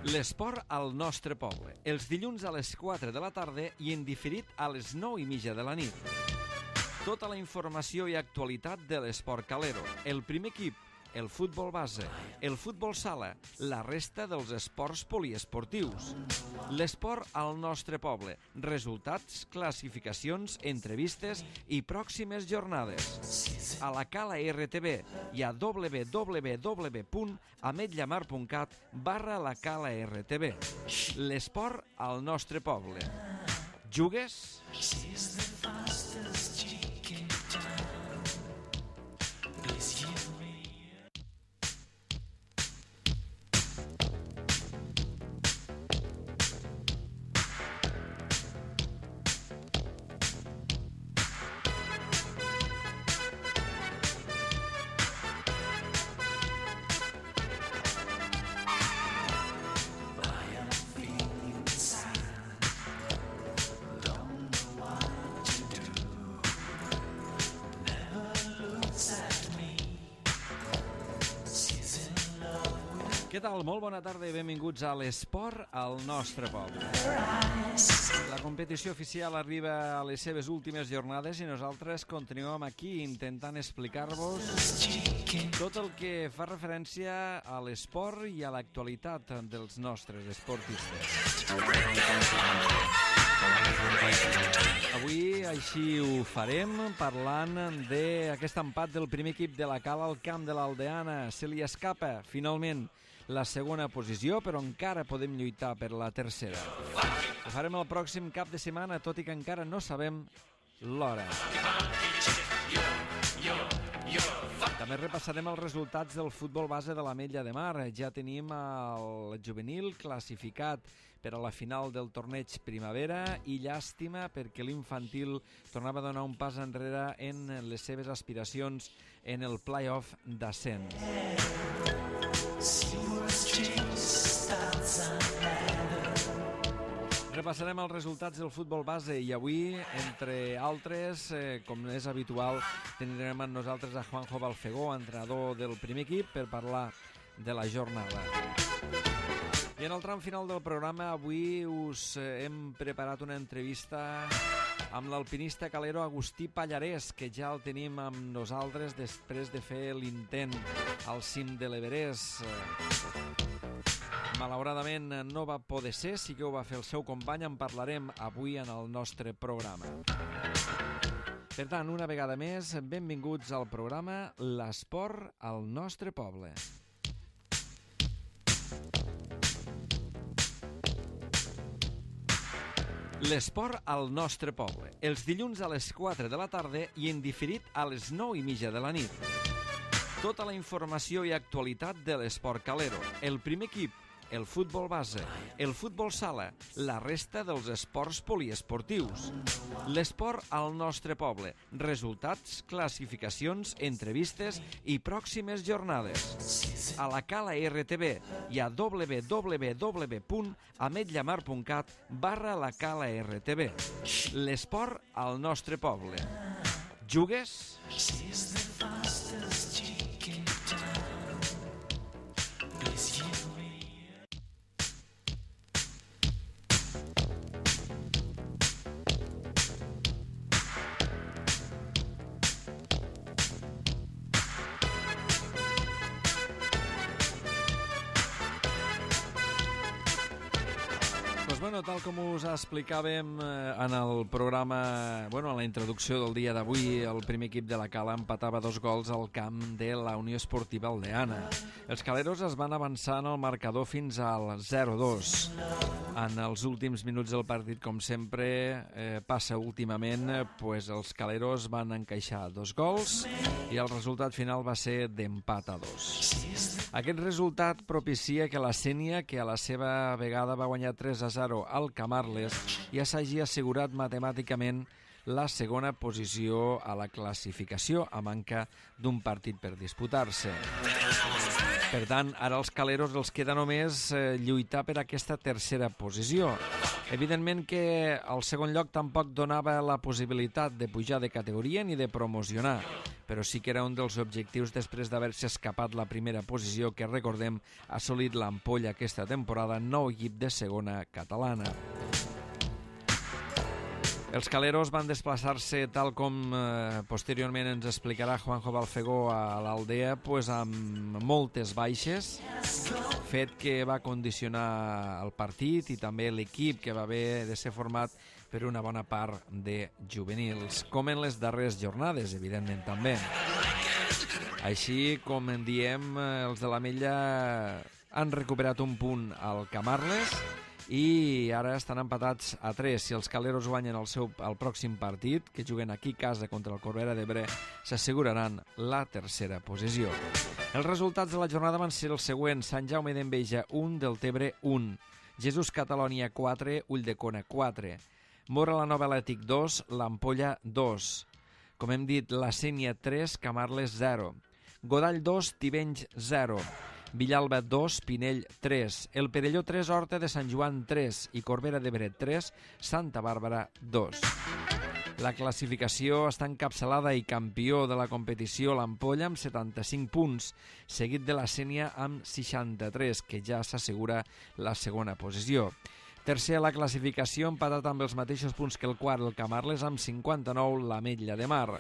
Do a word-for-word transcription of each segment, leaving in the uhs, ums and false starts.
L'esport al nostre poble. Els dilluns a les quatre de la tarda i en diferit a les nou i mitja de la nit. Tota la informació i actualitat de l'esport calero. El primer equip, el futbol base, el futbol sala, la resta dels esports poliesportius. L'esport al nostre poble. Resultats, classificacions, entrevistes i pròximes jornades. A la Cala R T V i a w w w punt ametlla mar punt cat barra la Cala R T V. L'esport al nostre poble. Jugues? Què tal? Molt bona tarda i benvinguts a l'esport al nostre poble. La competició oficial arriba a les seves últimes jornades i nosaltres continuem aquí intentant explicar-vos tot el que fa referència a l'esport i a l'actualitat dels nostres esportistes. Avui així ho farem parlant d'aquest empat del primer equip de la Cala al camp de l'Aldeana. Se li escapa finalment la segona posició, però encara podem lluitar per la tercera. Ho farem el pròxim cap de setmana, tot i que encara no sabem l'hora. També repassarem els resultats del futbol base de l'Ametlla de Mar. Ja tenim el juvenil classificat per a la final del torneig primavera i llàstima perquè l'infantil tornava a donar un pas enrere en les seves aspiracions en el play-off d'ascens. Repassarem els resultats del futbol base i avui, entre altres, eh, com és habitual, tindrem amb nosaltres a Juanjo Balfegó, entrenador del primer equip, per parlar de la jornada. I en el tram final del programa avui us hem preparat una entrevista amb l'alpinista calero Agustí Pallarès, que ja el tenim amb nosaltres després de fer l'intent al cim de l'Everest. Malauradament no va poder ser, sí que ho va fer el seu company, en parlarem avui en el nostre programa. Per tant, una vegada més, benvinguts al programa L'Esport al nostre poble. L'esport al nostre poble. Els dilluns a les quatre de la tarda i en diferit a les nou i mitja de la nit. Tota la informació i actualitat de l'esport calero. El primer equip, el futbol base, el futbol sala, la resta dels esports poliesportius. L'esport al nostre poble. Resultats, classificacions, entrevistes i pròximes jornades. A la Cala R T V i a w w w punt ametlla mar punt cat barra la Cala R T V. L'esport al nostre poble. Jugues? Bueno, tal com us explicàvem en el programa, bueno, en la introducció del dia d'avui, el primer equip de la Cala empatava dos gols al camp de la Unió Esportiva Aldeana. Els caleros es van avançar en el marcador fins al zero dos. En els últims minuts del partit, com sempre eh, passa últimament, pues els caleros van encaixar dos gols i el resultat final va ser d'empat a dos. Aquest resultat propicia que la Sénia, que a la seva vegada va guanyar tres a zero al Camarles, ja s'hagi assegurat matemàticament la segona posició a la classificació, a manca d'un partit per disputar-se. Per tant, ara els caleros els queda només eh, lluitar per aquesta tercera posició. Evidentment que el segon lloc tampoc donava la possibilitat de pujar de categoria ni de promocionar, però sí que era un dels objectius després d'haver-se escapat la primera posició que, recordem, ha assolit l'Ampolla aquesta temporada, nou equip de segona catalana. Els caleros van desplaçar-se, tal com eh, posteriorment ens explicarà Juanjo Balfegó, a l'Aldea, pues, amb moltes baixes, fet que va condicionar el partit i també l'equip, que va haver de ser format per una bona part de juvenils, com en les darreres jornades, evidentment, també. Així, com en diem, els de l'Ametlla han recuperat un punt al Camarles i ara estan empatats a tres. Si els caleros guanyen el seu el pròxim partit, que juguen aquí a casa contra el Corbera d'Ebre, s'asseguraran la tercera posició. Els resultats de la jornada van ser els següents: Sant Jaume d'Enveja un, Deltebre un, Jesús Catalònia quatre, Ulldecona quatre, Mora la Nova Atlètic dos, l'Ampolla dos, com hem dit, la Sénia tres, Camarles zero, Godall dos, Tivenys zero, Villalba dos, Pinell tres, El Perelló tres, Horta de Sant Joan tres i Corbera d'Ebre tres, Santa Bàrbara dos. La classificació està encapçalada i campió de la competició l'Ampolla amb setanta-cinc punts, seguit de la Sénia amb seixanta-tres, que ja s'assegura la segona posició. Tercer a la classificació, empatat amb els mateixos punts que el quart, el Camarles amb cinquanta-nou, l'Ametlla de Mar.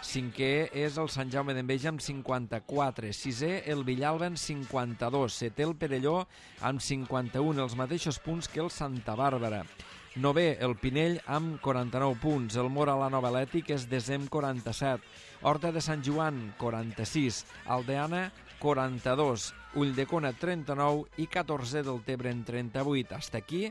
Cinquè és el Sant Jaume d'Enveja amb cinquanta-quatre. Sisè, el Villalba amb cinquanta-dos. Setè, el Perelló amb cinquanta-un, els mateixos punts que el Santa Bàrbara. Novè, el Pinell amb quaranta-nou punts. El Mora la Nova Atlètic és desè amb quaranta-set. Horta de Sant Joan, quaranta-sis. Aldeana, quaranta-dos. Ulldecona, trenta-nou i catorzè del Tebre en trenta-vuit. Hasta aquí,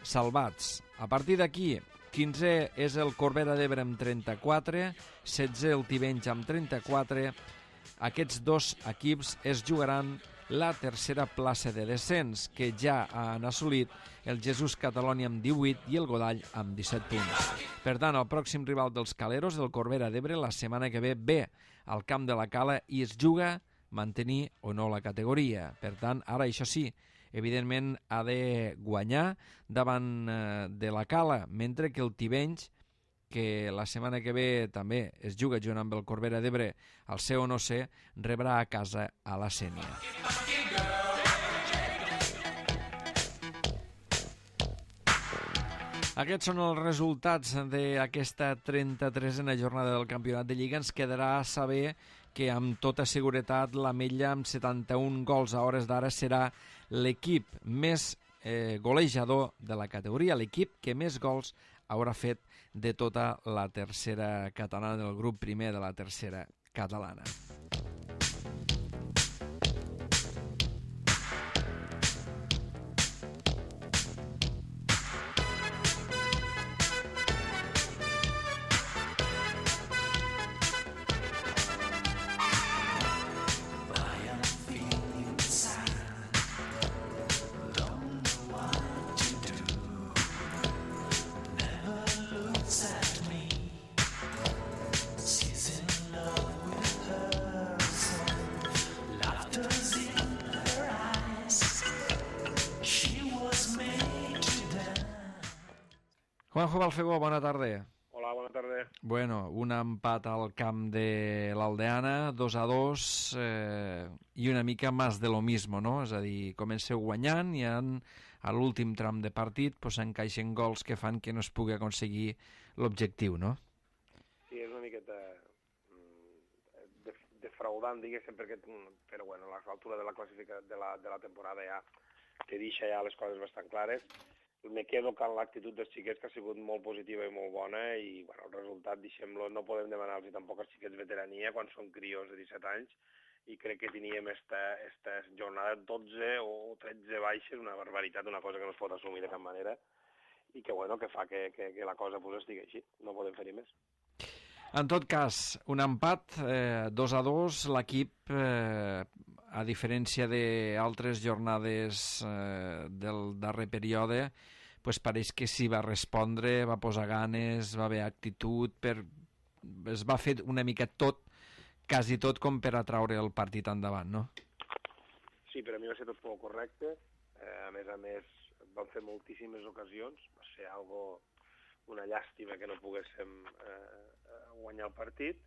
salvats. A partir d'aquí, quinzè és el Corbera d'Ebre amb trenta-quatre, setzè el Tivenys amb trenta-quatre. Aquests dos equips es jugaran la tercera plaça de descens, que ja han assolit el Jesús Catalònia amb divuit i el Godall amb disset punts. Per tant, el pròxim rival dels caleros, el Corbera d'Ebre, la setmana que ve ve al camp de la Cala i es juga mantenir o no la categoria. Per tant, ara això sí, evidentment ha de guanyar davant eh, de la Cala, mentre que el Tivenys, que la setmana que ve també es juga junt amb el Corbera d'Ebre al C o no C, rebrà a casa a la Sénia. Aquests són els resultats d'aquesta trenta-tresena jornada del Campionat de Lliga. Ens quedarà saber que amb tota seguretat l'Ametlla amb setanta-un gols a hores d'ara serà l'equip més eh, golejador de la categoria, l'equip que més gols haurà fet de tota la tercera catalana, del grup primer de la tercera catalana. Juanjo Balfegó, bona tarda. Hola, bona tarda. Bueno, un empat al camp de l'Aldeana, dos a dos, eh, i una mica més de lo mismo, no? És a dir, comenceu guanyant i en, a l'últim tram de partit pues, encaixen gols que fan que no es pugui aconseguir l'objectiu, no? Sí, és una miqueta defraudant, diguéssim, perquè, però bueno, a l'altura de la classificació de la, de la temporada ja te deixa ja les coses bastant clares. Me quedo amb l'actitud dels xiquets, que ha sigut molt positiva i molt bona, i bueno, el resultat, deixem-lo, no podem demanar-los tampoc als xiquets veterania quan són crios de disset anys, i crec que teníem esta, esta jornada dotze o tretze baixes, una barbaritat, una cosa que no es pot assumir de cap manera, i que, bueno, que fa que, que, que la cosa pues, estigui així, no podem fer-hi més. En tot cas, un empat, eh, dos a dos, l'equip, eh, a diferència d'altres jornades eh, del darrer període, pues pareix que s'hi va respondre, va posar ganes, va haver actitud, per... es va fer una mica tot, quasi tot com per atraure el partit endavant, no? sí, per a mi va ser tot molt correcte. Eh, a més a més, vam fer moltíssimes ocasions. Va ser algo, una llàstima que no poguéssim eh, guanyar el partit.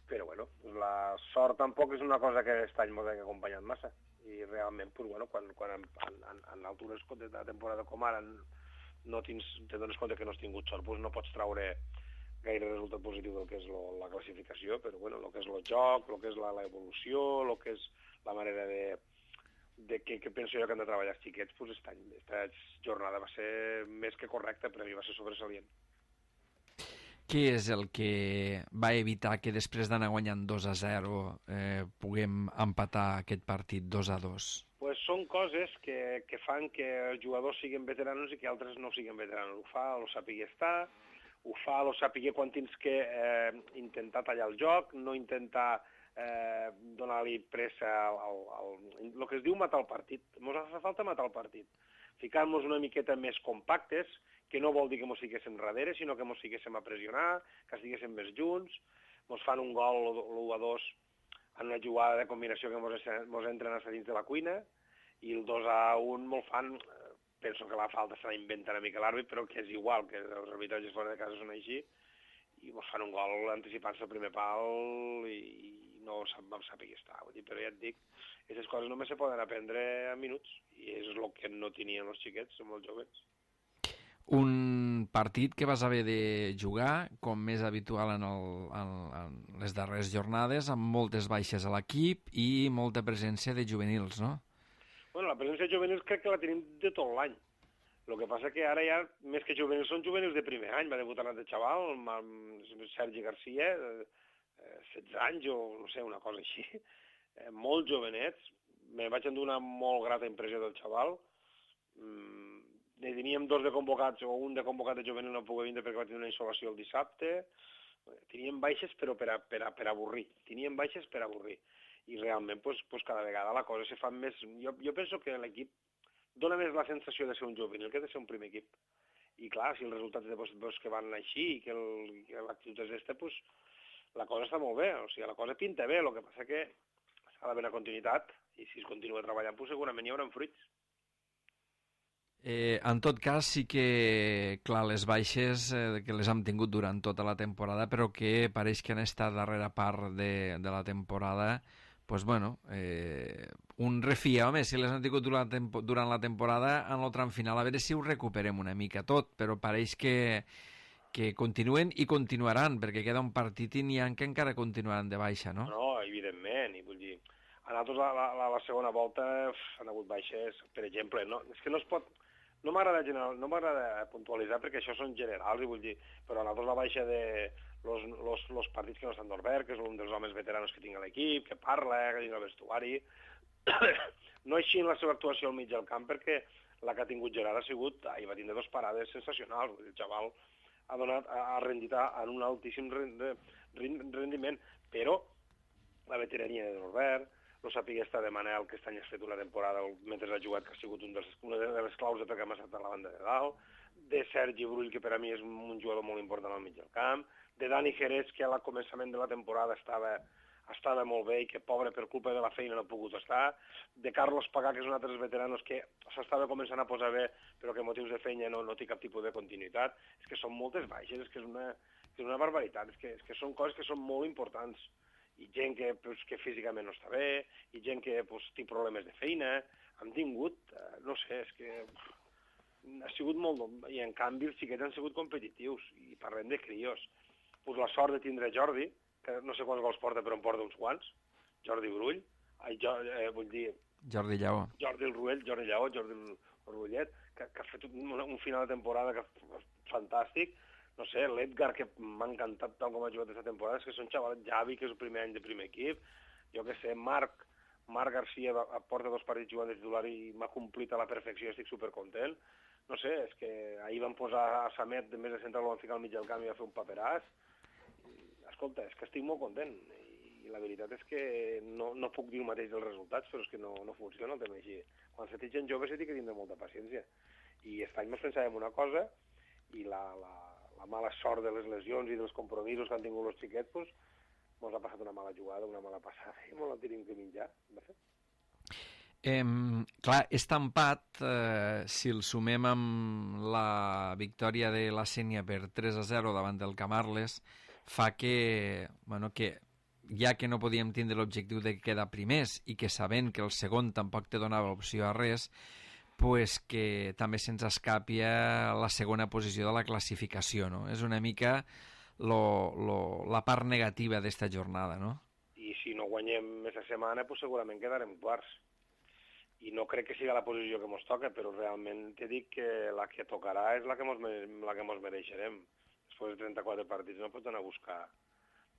Però, bueno, la sort tampoc és una cosa que aquest any m'ho hagi acompanyat massa. I realment, pues, bueno, quan, quan en, en, en altures de la temporada com ara no tens, te dones compte que no has tingut sort, pues no pots traure gaire resultat positiu del que és lo, la classificació, però bueno, el que és el joc, el que és l'evolució, el que és la manera de, de que, que penso jo que han de treballar els xiquets, pues esta, esta jornada va ser més que correcta, per a mi va ser sobresalient. Què és el que va evitar que després d'anar guanyant dos a zero eh, puguem empatar aquest partit dos a dos? Pues són coses que, que fan que els jugadors siguin veteranos i que altres no siguin veteranos. Ho fa, ho sàpiga estar, ho fa, ho sàpiga quan tens que eh, intentar tallar el joc, no intentar eh, donar-li pressa al, al, al... El que es diu matar el partit. Ens fa falta matar el partit. Ficar-nos una miqueta més compactes, que no vol dir que ens fiquéssim darrere, sinó que ens fiquéssim a pressionar, que estiguéssim més junts, ens fan un gol l'u a dos en una jugada de combinació que ens entren a dins de la cuina, i el dos a un me'l fan, penso que la falta se la inventa una mica l'àrbit, però que és igual, que els arbitratges fora de casa són així, i ens fan un gol anticipant-se al primer pal i, i no vam saber qui està. Vull dir, però ja et dic, aquestes coses només se poden aprendre en minuts, i és el que no tenien els xiquets, són molt joves. Un partit que vas haver de jugar, com més habitual en, el, en, en les darreres jornades, amb moltes baixes a l'equip i molta presència de juvenils, no? Bueno, la presència de juvenils crec que la tenim de tot l'any. El que passa que ara ja, més que juvenils, són juvenils de primer any. Va debutar de xaval, amb Sergi Garcia, setze anys o no sé, una cosa així. Molt jovenets. Me vaig endur una molt grata impressió del xaval. Ne teníem dos de convocats, o un de convocat de juvenil no pogué vindre perquè va tenir una insolació el dissabte. Teníem baixes però per, a, per, a, per avorrir. Teníem baixes per avorrir. I realment, pues, pues cada vegada la cosa se fa més... Jo, jo penso que l'equip dona més la sensació de ser un juvenil que de ser un primer equip. I clar, si els resultats de pues, que van així i que l'actitud és aquesta, pues, la cosa està molt bé. O sigui, la cosa pinta bé, el que passa que s'ha d'haver una continuïtat i si es continua treballant, pues, segurament hi haurà fruits. Eh, en tot cas, sí que, clar, les baixes eh, que les hem tingut durant tota la temporada, però que pareix que han estat darrera part de, de la temporada, pues bueno, eh, un refia, home, si les han tingut durant, durant la temporada, en el tram final, a veure si ho recuperem una mica tot, però pareix que, que continuen i continuaran, perquè queda un partit i n'hi ha que encara continuaran de baixa, no? No, evidentment, i vull dir, a nosaltres la, la, la segona volta uf, han hagut baixes, per exemple, no, és que no es pot... No m'agrada general, no m'agrada puntualitzar perquè això són generals, i vull dir, però a nosaltres la baixa de los, los, los partits que no estan d'Orbert, que és un dels homes veteranos que tinc a l'equip, que parla, que tinc al vestuari, no així en la seva actuació al mig del camp, perquè la que ha tingut Gerard ha sigut, ahir va tindre dos parades sensacionals, el xaval ha donat, ha rendit en un altíssim rendiment, però la veterania de Norbert, no sàpiga estar de Manel, que aquest any has fet una temporada mentre ha jugat, que ha sigut un dels, una de les claus de perquè hem estat a la banda de dalt, de Sergi Brull, que per a mi és un jugador molt important al mig del camp, de Dani Jerez, que al començament de la temporada estava, estava molt bé i que, pobre, per culpa de la feina no ha pogut estar, de Carlos Pagà, que és un altre dels veteranos que s'estava començant a posar bé, però que motius de feina no, no té cap tipus de continuïtat. És que són moltes baixes, és que és una, que és una barbaritat, és que, és que són coses que són molt importants. I gent que, pues, que físicament no està bé, i gent que pues, té problemes de feina, han tingut, eh, no sé, és que uf, ha sigut molt... I en canvi els xiquets han sigut competitius, i parlem de crios. Pues la sort de tindre Jordi, que no sé quants gols porta, però en porta uns quants, Jordi Brull, ai, jo, eh, vull dir... Jordi Lleó. Jordi el Ruell, Jordi Lleó, Jordi el Rullet, que, que ha fet un, un final de temporada que, fantàstic. No sé, l'Edgar, que m'ha encantat tal com ha jugat aquesta temporada, és que són xavals, Javi, que és el primer any de primer equip, jo que sé, Marc, Marc Garcia porta dos partits jugant de titular i m'ha complit a la perfecció, estic supercontent. No sé, és que ahir van posar a Samet, de més de central, el van ficar al mig del camp i va fer un paperàs. Escolta, és que estic molt content, i la veritat és que no, no puc dir el mateix dels resultats, però és que no, no funciona el tema així. Quan se té gent jove se té que tindre molta paciència. I aquest any ens pensàvem una cosa, i la... la la mala sort de les lesions i dels compromisos que han tingut els xiquets, doncs, mos ha passat una mala jugada, una mala passada, i mos la tenim que menjar, de fet. Eh, clar, este empat, eh, si el sumem amb la victòria de la Sénia per tres a zero davant del Camarles, fa que, bueno, que ja que no podíem tindre l'objectiu de quedar primers i que sabent que el segon tampoc te donava opció a res, pues que també se'ns escapi la segona posició de la classificació, no? És una mica lo, lo, la part negativa d'esta jornada, no? I si no guanyem aquesta setmana, pues segurament quedarem quarts. I no crec que sigui la posició que ens toca, però realment te dic que la que tocarà és la que ens la que mos mereixerem. Després de trenta-quatre partits no pots anar a buscar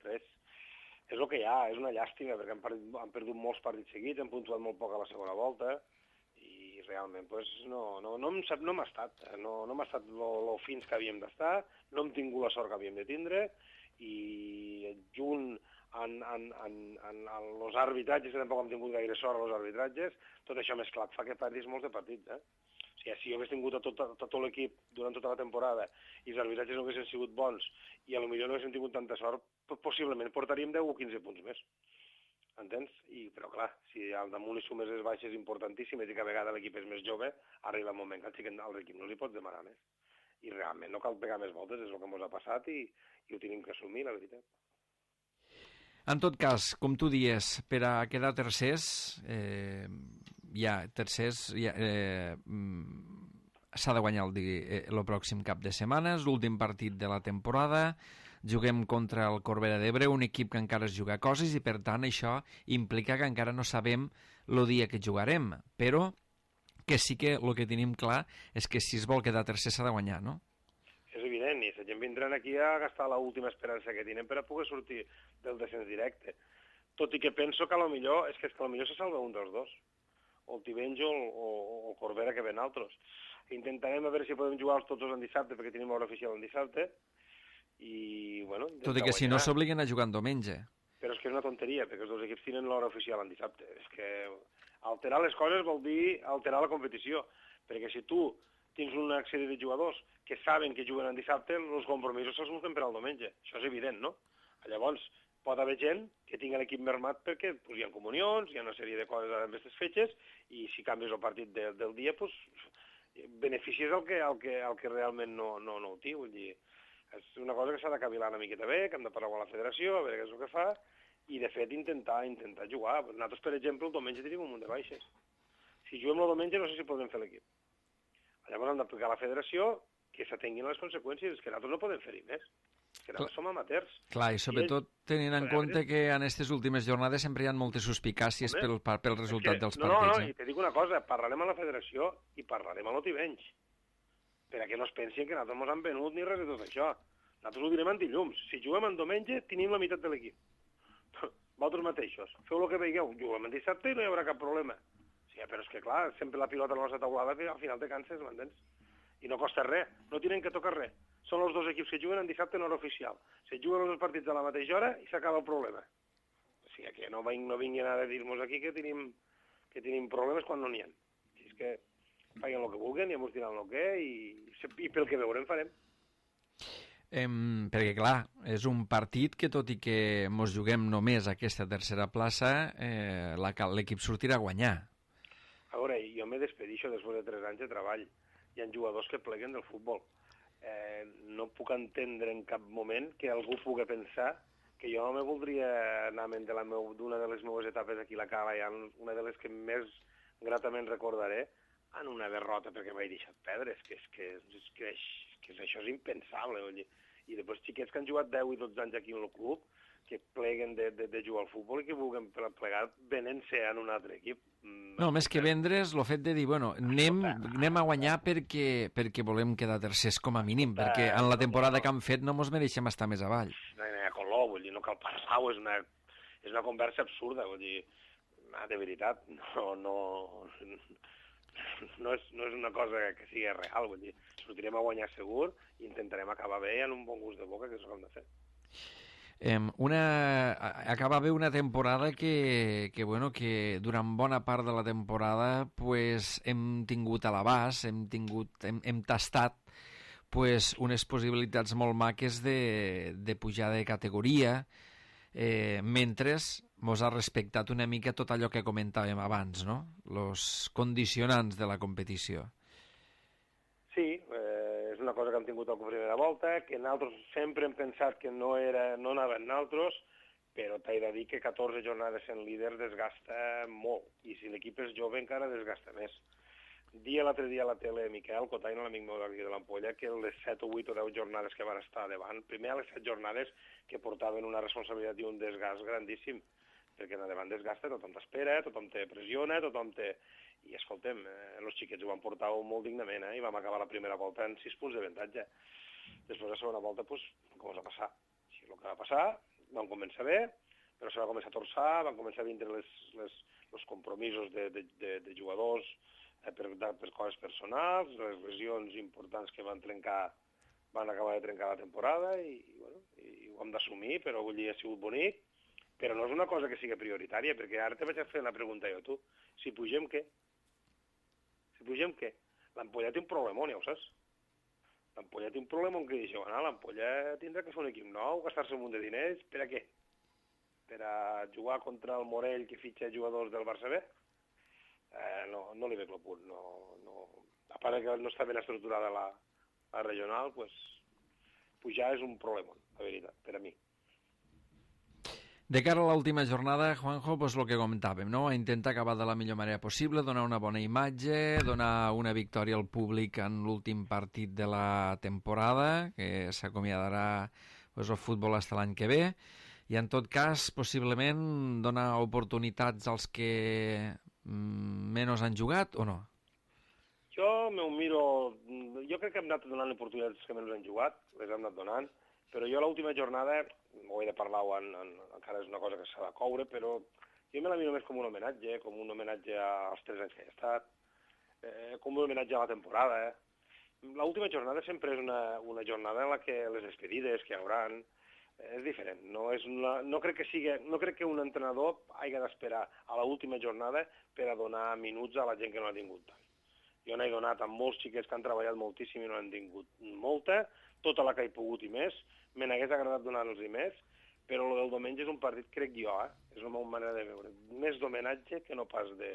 res. És el que hi ha, és una llàstima, perquè han perdut, han perdut molts partits seguits, han puntuat molt poc a la segona volta, i realment pues, no, no, no, no m'ha estat, no, no m'ha estat lo fins que havíem d'estar, no hem tingut la sort que havíem de tindre, i junt en, en, en, en, en els arbitratges, que tampoc hem tingut gaire sort als arbitratges, tot això mesclat fa que perdis molts de partits. Eh? O sigui, si jo hagués tingut a tot, a tot l'equip durant tota la temporada i els arbitratges no haguessin sigut bons i potser no haguéssim tingut tanta sort, possiblement portaríem deu o quinze punts més. Entens? I, però clar, si al damunt li sumes les baixes importantíssimes i que a vegades l'equip és més jove, arriba el moment que al equip no li pots demanar més. I realment no cal pegar més voltes, és el que ens ha passat i, i ho tenim que assumir, la veritat. En tot cas, com tu dies, per a quedar tercers, eh, ja, tercers, ja, eh, s'ha de guanyar el, eh, el pròxim cap de setmanes, l'últim partit de la temporada, juguem contra el Corbera d'Ebre, un equip que encara es juga coses i, per tant, això implica que encara no sabem el dia que jugarem, però que sí que el que tenim clar és que si es vol quedar tercer s'ha de guanyar, no? És evident, i la gent vindran aquí a gastar l'última esperança que tenen per a poder sortir del descens directe. Tot i que penso que a lo millor, és que, és que a lo millor se salva un dels dos, o el Tivenys o, o, o el Corbera, que ven altres. Intentarem a veure si podem jugar tots dos en dissabte, perquè tenim hora oficial en dissabte, i, bueno... Tot i que guanyar. Si no s'obliguen a jugar en diumenge. Però és que és una tonteria, perquè els dos equips tenen l'hora oficial en dissabte. És que alterar les coses vol dir alterar la competició, perquè si tu tens una sèrie de jugadors que saben que juguen en dissabte, els compromisos se'ls busquen per al diumenge. Això és evident, no? Llavors, pot haver gent que tingui l'equip mermat perquè pues, hi ha comunions, hi ha una sèrie de coses amb aquestes fetges, i si canvies el partit de, del dia, pues, beneficis el que, el que, el que realment no, no, no ho té. Vull dir, és una cosa que s'ha de cavilar una miqueta bé, que hem de parlar amb la federació, a veure què és el que fa, i de fet intentar intentar jugar. Nosaltres, per exemple, el diumenge tenim un munt de baixes. Si juguem el diumenge no sé si podem fer l'equip. Llavors hem d'aplicar a la federació que s'atenguin les conseqüències, és que nosaltres no podem fer-hi més. És que nosaltres som amateurs. Clar, i sobretot tenint en compte que en aquestes últimes jornades sempre hi ha moltes suspicàcies pel, pel resultat dels partits. No, no, no, i te dic una cosa, parlarem a la federació i parlarem a l'Otivenys, perquè no es pensin que nosaltres ens han venut ni res de tot això. Nosaltres ho direm en dilluns. Si juguem en diumenge, tenim la meitat de l'equip. Vosaltres mateixos. Feu el que veieu, juguem en dissabte i no hi haurà cap problema. Sí, però és que, clar, sempre la pilota a la nostra taulada que al final te canses, m'entens? I no costa res, no tenen que tocar res. Són els dos equips que juguen en dissabte en hora oficial. Se juguen els partits a la mateixa hora i s'acaba el problema. O sigui, que no, ving, no vinguin a dir-nos aquí que tenim, que tenim problemes quan no n'hi ha. Si és que facin el que vulguen i ens diran el que i, i pel que veurem farem. Eh, perquè, clar, és un partit que, tot i que mos juguem només aquesta tercera plaça, eh, l'equip sortirà a guanyar. A veure, jo me despedixo després de tres anys de treball. Hi ha jugadors que pleguen del futbol. Eh, no puc entendre en cap moment que algú pugui pensar que jo no me voldria anar d'una de les meves etapes aquí a la Cala, una de les que més gratament recordaré, en una derrota perquè m'he deixat perdre. És que, és que, és que, és que això és impensable. Oi? I després xiquets que han jugat deu i dotze anys aquí en el club, que pleguen de, de, de jugar al futbol i que vulguin plegar venent-se en un altre equip. No, més que vendre's, el fet de dir, bueno, anem, anem a guanyar perquè, perquè volem quedar tercers com a mínim, perquè en la temporada que han fet no mos mereixem estar més avall. No hi ha color, vull dir, no cal parlar-ho, és una, és una conversa absurda, vull dir, de veritat, no, no, no, és, no és una cosa que sigui real, vull dir, sortirem a guanyar segur i intentarem acabar bé en un bon gust de boca, que és el que hem de fer. Eh, una, acaba bé una temporada que, que, bueno, que durant bona part de la temporada pues, hem tingut a l'abast, hem, tingut, hem, hem tastat pues, unes possibilitats molt maques de, de pujar de categoria, eh, mentre mos ha respectat una mica tot allò que comentàvem abans, no? Els condicionants de la competició. Sí, eh, és una cosa que hem tingut a la primera volta, que nosaltres sempre hem pensat que no, era, no anaven nosaltres, però t'he de dir que catorze jornades sent líder desgasta molt, i si l'equip és jove encara desgasta més. Dia l'altre dia a la tele, Miquel Cotaina, l'amic meu d'aquí de l'Ampolla, que les set o vuit o deu jornades que van estar davant, primer a les set jornades que portaven una responsabilitat i un desgast grandíssim, perquè davant desgasta, tothom t'espera, tothom te pressiona, tothom te... I escoltem, eh, els xiquets ho van portar molt dignament, eh, i vam acabar la primera volta en sis punts d'avantatge. Després la segona volta, doncs, com us va passar? Sí, el que va passar, vam començar bé, però se va començar a torçar, van començar a vindre les, les, els compromisos de, de, de, de jugadors eh, per, per coses personals, les lesions importants que van trencar, van acabar de trencar la temporada, i, i, bueno, i ho hem d'assumir, però vull dir, ha sigut bonic, però no és una cosa que sigui prioritària, perquè ara te vaig a fer la pregunta jo, tu, si pugem què? Si pugem què? L'Ampolla té un problemón, ja ho saps? L'Ampolla té un problemón que diu, bueno, l'Ampolla tindrà que fer un equip nou, gastar-se un munt de diners, per a què? Per a jugar contra el Morell que fitxa jugadors del Barça B? Eh, no, no li veig el punt. No, no... A part que no està ben estructurada la, la regional, pues, pujar és un problemón, la veritat, per a mi. De cara a l'última jornada, Juanjo, pues el que comentàvem, no? Intentar acabar de la millor manera possible, donar una bona imatge, donar una victòria al públic en l'últim partit de la temporada, que s'acomiadarà pues, el futbol fins l'any que ve, i en tot cas, possiblement, donar oportunitats als que mm, menys han jugat, o no? Jo m'ho miro... Jo crec que hem anat donant oportunitats als que menys han jugat, les hem anat donant, però jo l'última jornada, ho he de parlar, en, en, encara és una cosa que s'ha de coure, però jo me la miro més com un homenatge, com un homenatge als tres anys que he estat, eh, com un homenatge a la temporada. Eh. L'última jornada sempre és una, una jornada en la que les despedides que hi hauran eh, és diferent. No, és una, no, crec que sigui, no crec que un entrenador hagi d'esperar a l'última jornada per a donar minuts a la gent que no ha tingut tant. Jo n'he donat a molts xiquets que han treballat moltíssim i no han tingut molta, tota la que he pogut i més, me n'hagués agradat donar-los i més, però el del diumenge és un partit, crec jo, eh? És la meva manera de veure, més d'homenatge que no pas de,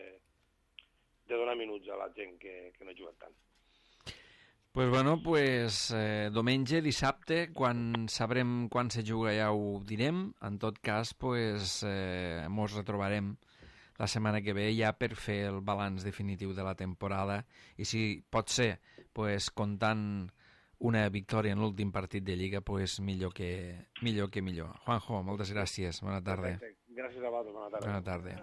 de donar minuts a la gent que, que no ha jugat tant. Pues bueno, pues eh, diumenge, dissabte, quan sabrem quan se juga ja ho direm, en tot cas, pues eh, mos retrobarem la setmana que ve ja per fer el balanç definitiu de la temporada i si pot ser, pues, comptant una victòria en l'últim partit de Lliga, pues, millor que millor. Que millor. Juanjo, moltes gràcies. Bona tarda. Perfecte. Gràcies a vosaltres. Bona tarda. Bona tarda.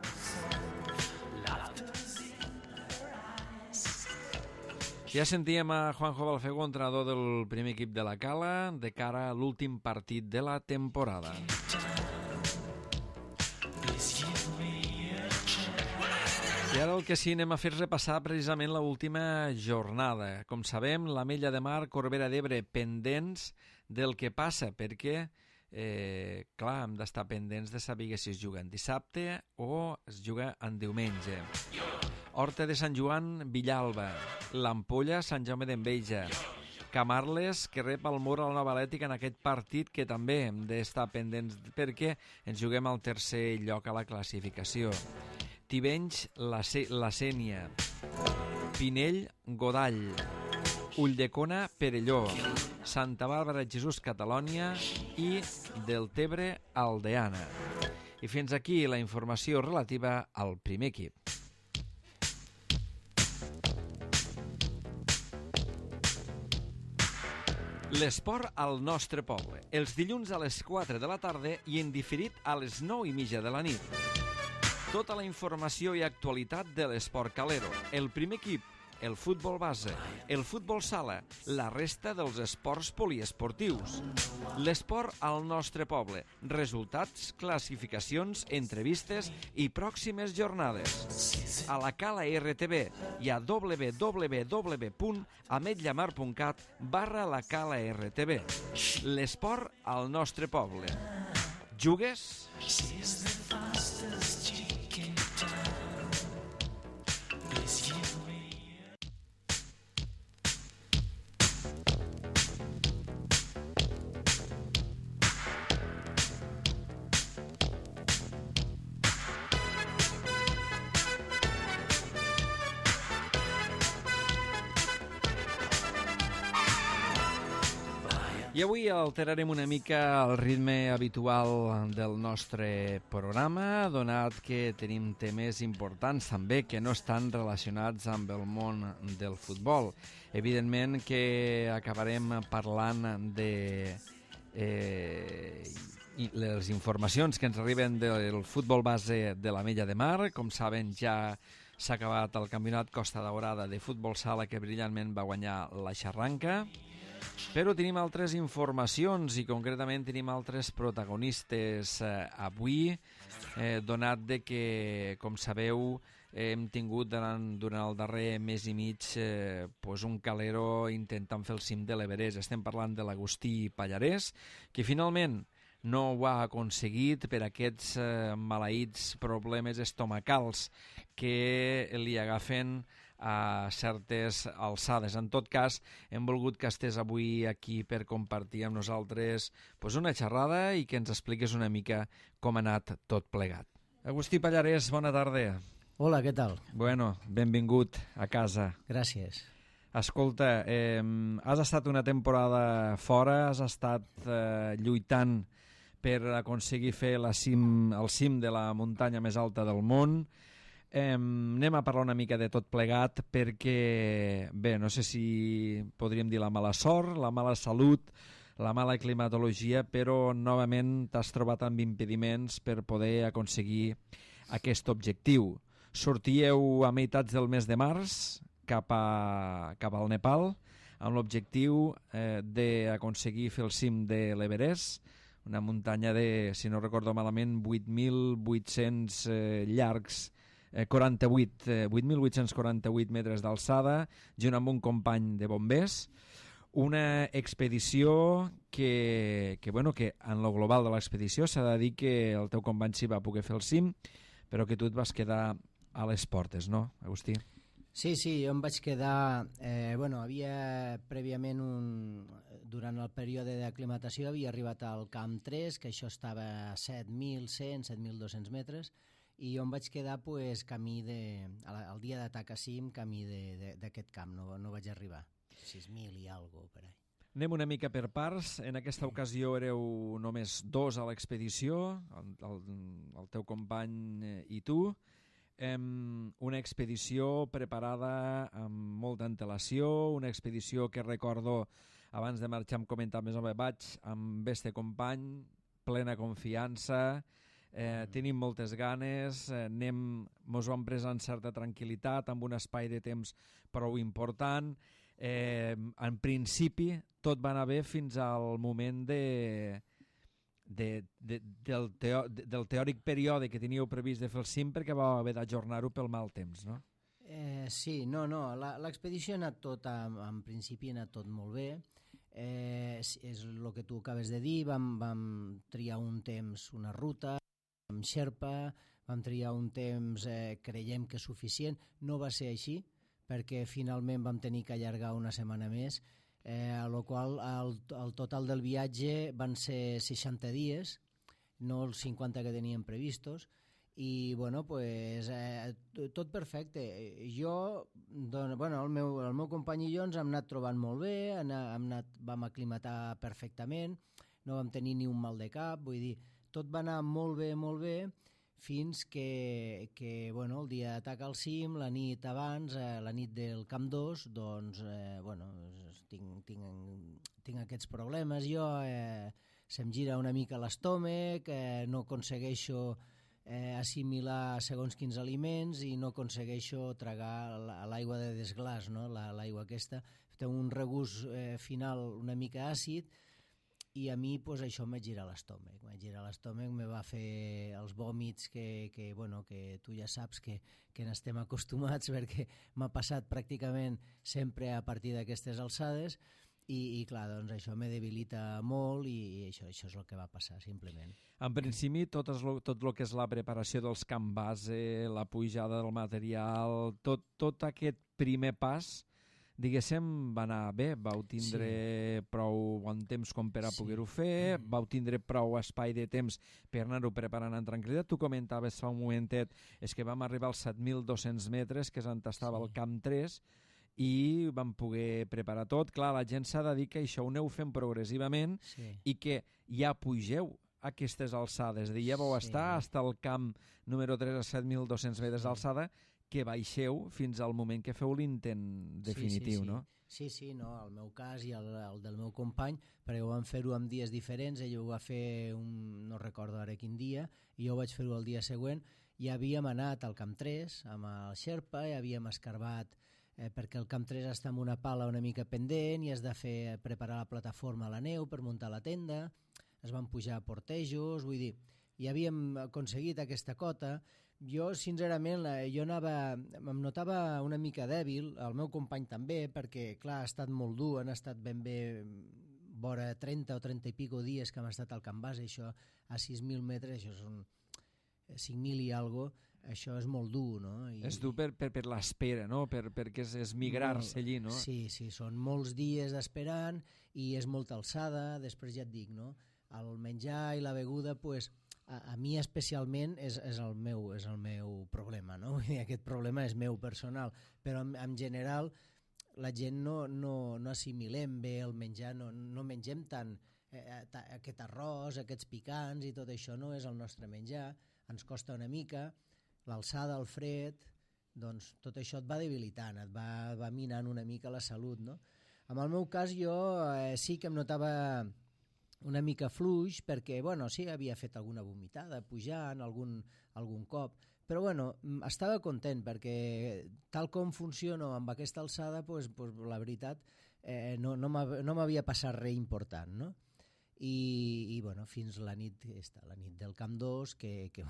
Ja sentíem a Juanjo Balfego, entrenador del primer equip de la Cala, de cara a l'últim partit de la temporada. I ara el que sí, anem a fer repassar precisament l'última jornada. Com sabem, l'Ametlla de Mar, Corbera d'Ebre, pendents del que passa, perquè, eh, clar, hem d'estar pendents de saber si es juga en dissabte o es juga en diumenge. Horta de Sant Joan, Villalba. L'Ampolla, Sant Jaume d'Enveja. Camarles, que rep el Mur a la Nova Atlètica en aquest partit, que també hem d'estar pendents perquè ens juguem al tercer lloc a la classificació. Tivenys, la, la Sénia. Pinell, Godall. Ulldecona, Perelló. Santa Bàrbara, Jesús, Catalònia i Deltebre, Aldeana. I fins aquí la informació relativa al primer equip. L'esport al nostre poble. Els dilluns a les quatre de la tarda i en diferit a les nou i mitja de la nit. Tota la informació i actualitat de l'esport calero. El primer equip, el futbol base, el futbol sala, la resta dels esports poliesportius. L'esport al nostre poble. Resultats, classificacions, entrevistes i pròximes jornades. A la Cala R T V i a w w w punt ametllamar punt cat barra la Cala R T V. L'esport al nostre poble. Jugues? I avui alterarem una mica el ritme habitual del nostre programa, donat que tenim temes importants també que no estan relacionats amb el món del futbol. Evidentment que acabarem parlant de eh, les informacions que ens arriben del futbol base de l'Ametlla de Mar. Com saben, ja s'ha acabat el campionat Costa Daurada de futbol sala que brillantment va guanyar la Xarranca. Però tenim altres informacions i concretament tenim altres protagonistes eh, avui, eh, donat de que, com sabeu, eh, hem tingut durant, durant el darrer mes i mig eh, pues un calero intentant fer el cim de l'Everest. Estem parlant de l'Agustí Pallarès, que finalment no ho ha aconseguit per aquests eh, maleïts problemes estomacals que li agafen a certes alçades. En tot cas, hem volgut que estés avui aquí per compartir amb nosaltres pues, una xerrada i que ens expliqués una mica com ha anat tot plegat. Agustí Pallarès, bona tarda. Hola, què tal? Bueno, benvingut a casa. Gràcies. Escolta, eh, has estat una temporada fora, has estat eh, lluitant per aconseguir fer la cim, el cim de la muntanya més alta del món. Eh, anem a parlar una mica de tot plegat perquè, bé, no sé si podríem dir la mala sort, la mala salut, la mala climatologia, però novament t'has trobat amb impediments per poder aconseguir aquest objectiu. Sortíeu a meitats del mes de març cap, a, cap al Nepal amb l'objectiu eh, d'aconseguir fer el cim de l'Everest, una muntanya de, si no recordo malament, vuit mil vuit-cents eh, llargs, eh, quaranta-vuit, eh, vuit mil vuit-cents quaranta-vuit metres d'alçada, junt amb un company de bombers. Una expedició que, que, bueno, que en lo global de l'expedició s'ha de dir que el teu company sí va poder fer el cim, però que tu et vas quedar a les portes, no, Agustí? Sí, sí, jo em vaig quedar... Eh, bueno, havia prèviament un... Durant el període d'aclimatació havia arribat al camp tres, que això estava a set mil cent, set mil dos-cents metres, i jo em vaig quedar pues, camí de... El dia d'atac a cim, camí d'aquest camp, no, no vaig arribar. sis mil i alguna cosa per ahí. Anem una mica per parts. En aquesta ocasió éreu només dos a l'expedició, el, el, el teu company i tu. Um, una expedició preparada amb molta antelació, una expedició que recordo, abans de marxar em comentava més o menys, vaig amb este company, plena confiança, eh, mm. tenim moltes ganes, eh, anem, mos ho hem pres amb certa tranquil·litat, amb un espai de temps prou important. Eh, en principi tot va anar bé fins al moment de, de, de, del, teo, de, del teòric període que teníeu previst de fer el cim, perquè va haver d'ajornar-ho pel mal temps, no? Eh, sí, no, no, l'expedició ha anat tot, en, en principi ha anat tot molt bé. Eh, és, és el que tu acabes de dir, vam, vam triar un temps, una ruta, amb Xerpa, vam triar un temps, eh, creiem que suficient, no va ser així, perquè finalment vam tenir que allargar una setmana més, eh, a la qual el, el total del viatge van ser seixanta dies, no els cinquanta que teníem previstos, i bueno, pues, eh, tot perfecte. Jo, doncs, bueno, el, meu, el meu company i jo ens hem anat trobant molt bé, hem anat, vam aclimatar perfectament, no vam tenir ni un mal de cap, vull dir, tot va anar molt bé, molt bé, fins que, que bueno, el dia d'atac al cim, la nit abans, eh, la nit del Camp dos, doncs, eh, bueno, tinc, tinc, tinc aquests problemes jo, eh, se'm gira una mica l'estómac, eh, no aconsegueixo eh, assimilar segons quins aliments i no aconsegueixo tragar l'aigua de desglàs, no? L'aigua aquesta té un regust eh, final una mica àcid, i a mi pues, això em va girar l'estómac. Em va girar l'estómac, me va fer els vòmits que, que, bueno, que tu ja saps que, que n'estem acostumats perquè m'ha passat pràcticament sempre a partir d'aquestes alçades i, i clar, doncs això me debilita molt i, i això, això és el que va passar, simplement. En principi, tot, es, tot el que és la preparació dels camp base, la pujada del material, tot, tot aquest primer pas, diguéssim, va anar bé, vau tindre sí. prou bon temps com per a sí. poder-ho fer, mm. vau tindre prou espai de temps per anar-ho preparant en tranquil·litat. Tu comentaves fa un momentet, és que vam arribar als set mil dos-cents metres, que és on estava sí. el camp tres, i vam poder preparar tot. Clar, la gent s'ha de dir que això ho aneu fent progressivament Sí. i que ja pugeu a aquestes alçades. És a dir, ja vau Sí. estar fins al camp número tres a set mil dos-cents metres Sí. d'alçada, que baixeu fins al moment que feu l'intent definitiu, sí, sí, sí. no? Sí, sí, no, el meu cas i el, el del meu company, perquè ho vam fer-ho en dies diferents, ell ho va fer, un, no recordo ara quin dia, i jo vaig fer-ho el dia següent, i havíem anat al Camp tres amb el Sherpa, i havíem escarbat, eh, perquè el Camp tres està en una pala una mica pendent i has de fer preparar la plataforma a la neu per muntar la tenda, es van pujar a portejos, vull dir, i havíem aconseguit aquesta cota. Jo, sincerament, jo anava, em notava una mica dèbil, el meu company també, perquè, clar, ha estat molt dur, han estat ben bé vora trenta o trenta i pico dies que hem estat al Camp Base, això a sis mil metres, això són cinc mil i algo, això és molt dur, no? I, És dur per, per, per l'espera, no? Per, perquè és, és migrar-se allí, no? Sí, sí, són molts dies esperant i és molta alçada, després ja et dic, no? El menjar i la beguda, pues, a, a mi especialment és, és, el meu, és el meu problema, no? Vull dir, aquest problema és meu personal, però en, en general la gent no, no, no assimilem bé el menjar, no, no mengem tant eh, ta, aquest arròs, aquests picants i tot això no és el nostre menjar, ens costa una mica, l'alçada, el fred, doncs tot això et va debilitant, et va, va minant una mica la salut, no? En el meu cas jo eh, sí que em notava una mica fluix perquè, bueno, sí, havia fet alguna vomitada pujant algun, algun cop, però bueno, estava content perquè tal com funciono amb aquesta alçada, pues, pues, la veritat eh, no, no m'havia passat res important, no? I, i bueno, fins la nit, esta, la nit del Camp dos, que, que,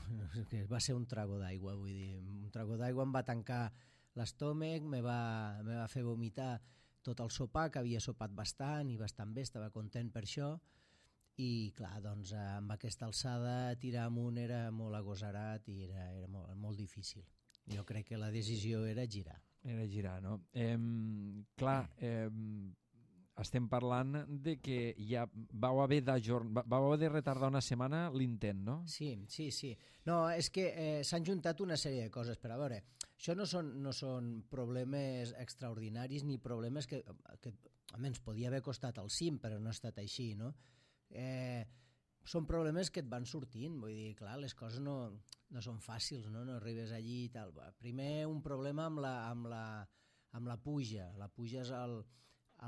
que va ser un trago d'aigua, vull dir, un trago d'aigua em va tancar l'estómac, me va, me va fer vomitar tot el sopar, que havia sopat bastant i bastant bé, estava content per això, i clar, doncs amb aquesta alçada tirar amunt era molt agosarat i era, era molt, molt difícil. Jo crec que la decisió era girar. Era girar, no? Eh, clar, eh, estem parlant de que ja vau haver d'ajornar, vau haver de retardar una setmana l'intent, no? Sí, sí, sí. No, és que eh, s'han juntat una sèrie de coses, però a veure, això no són, no són problemes extraordinaris ni problemes que, que a més, podia haver costat el cim, però no ha estat així, no? Eh, són problemes que et van sortint, vull dir, clar, les coses no, no són fàcils, no? No arribes allí i tal. Primer un problema amb la, amb la, amb la puja. La puja és el,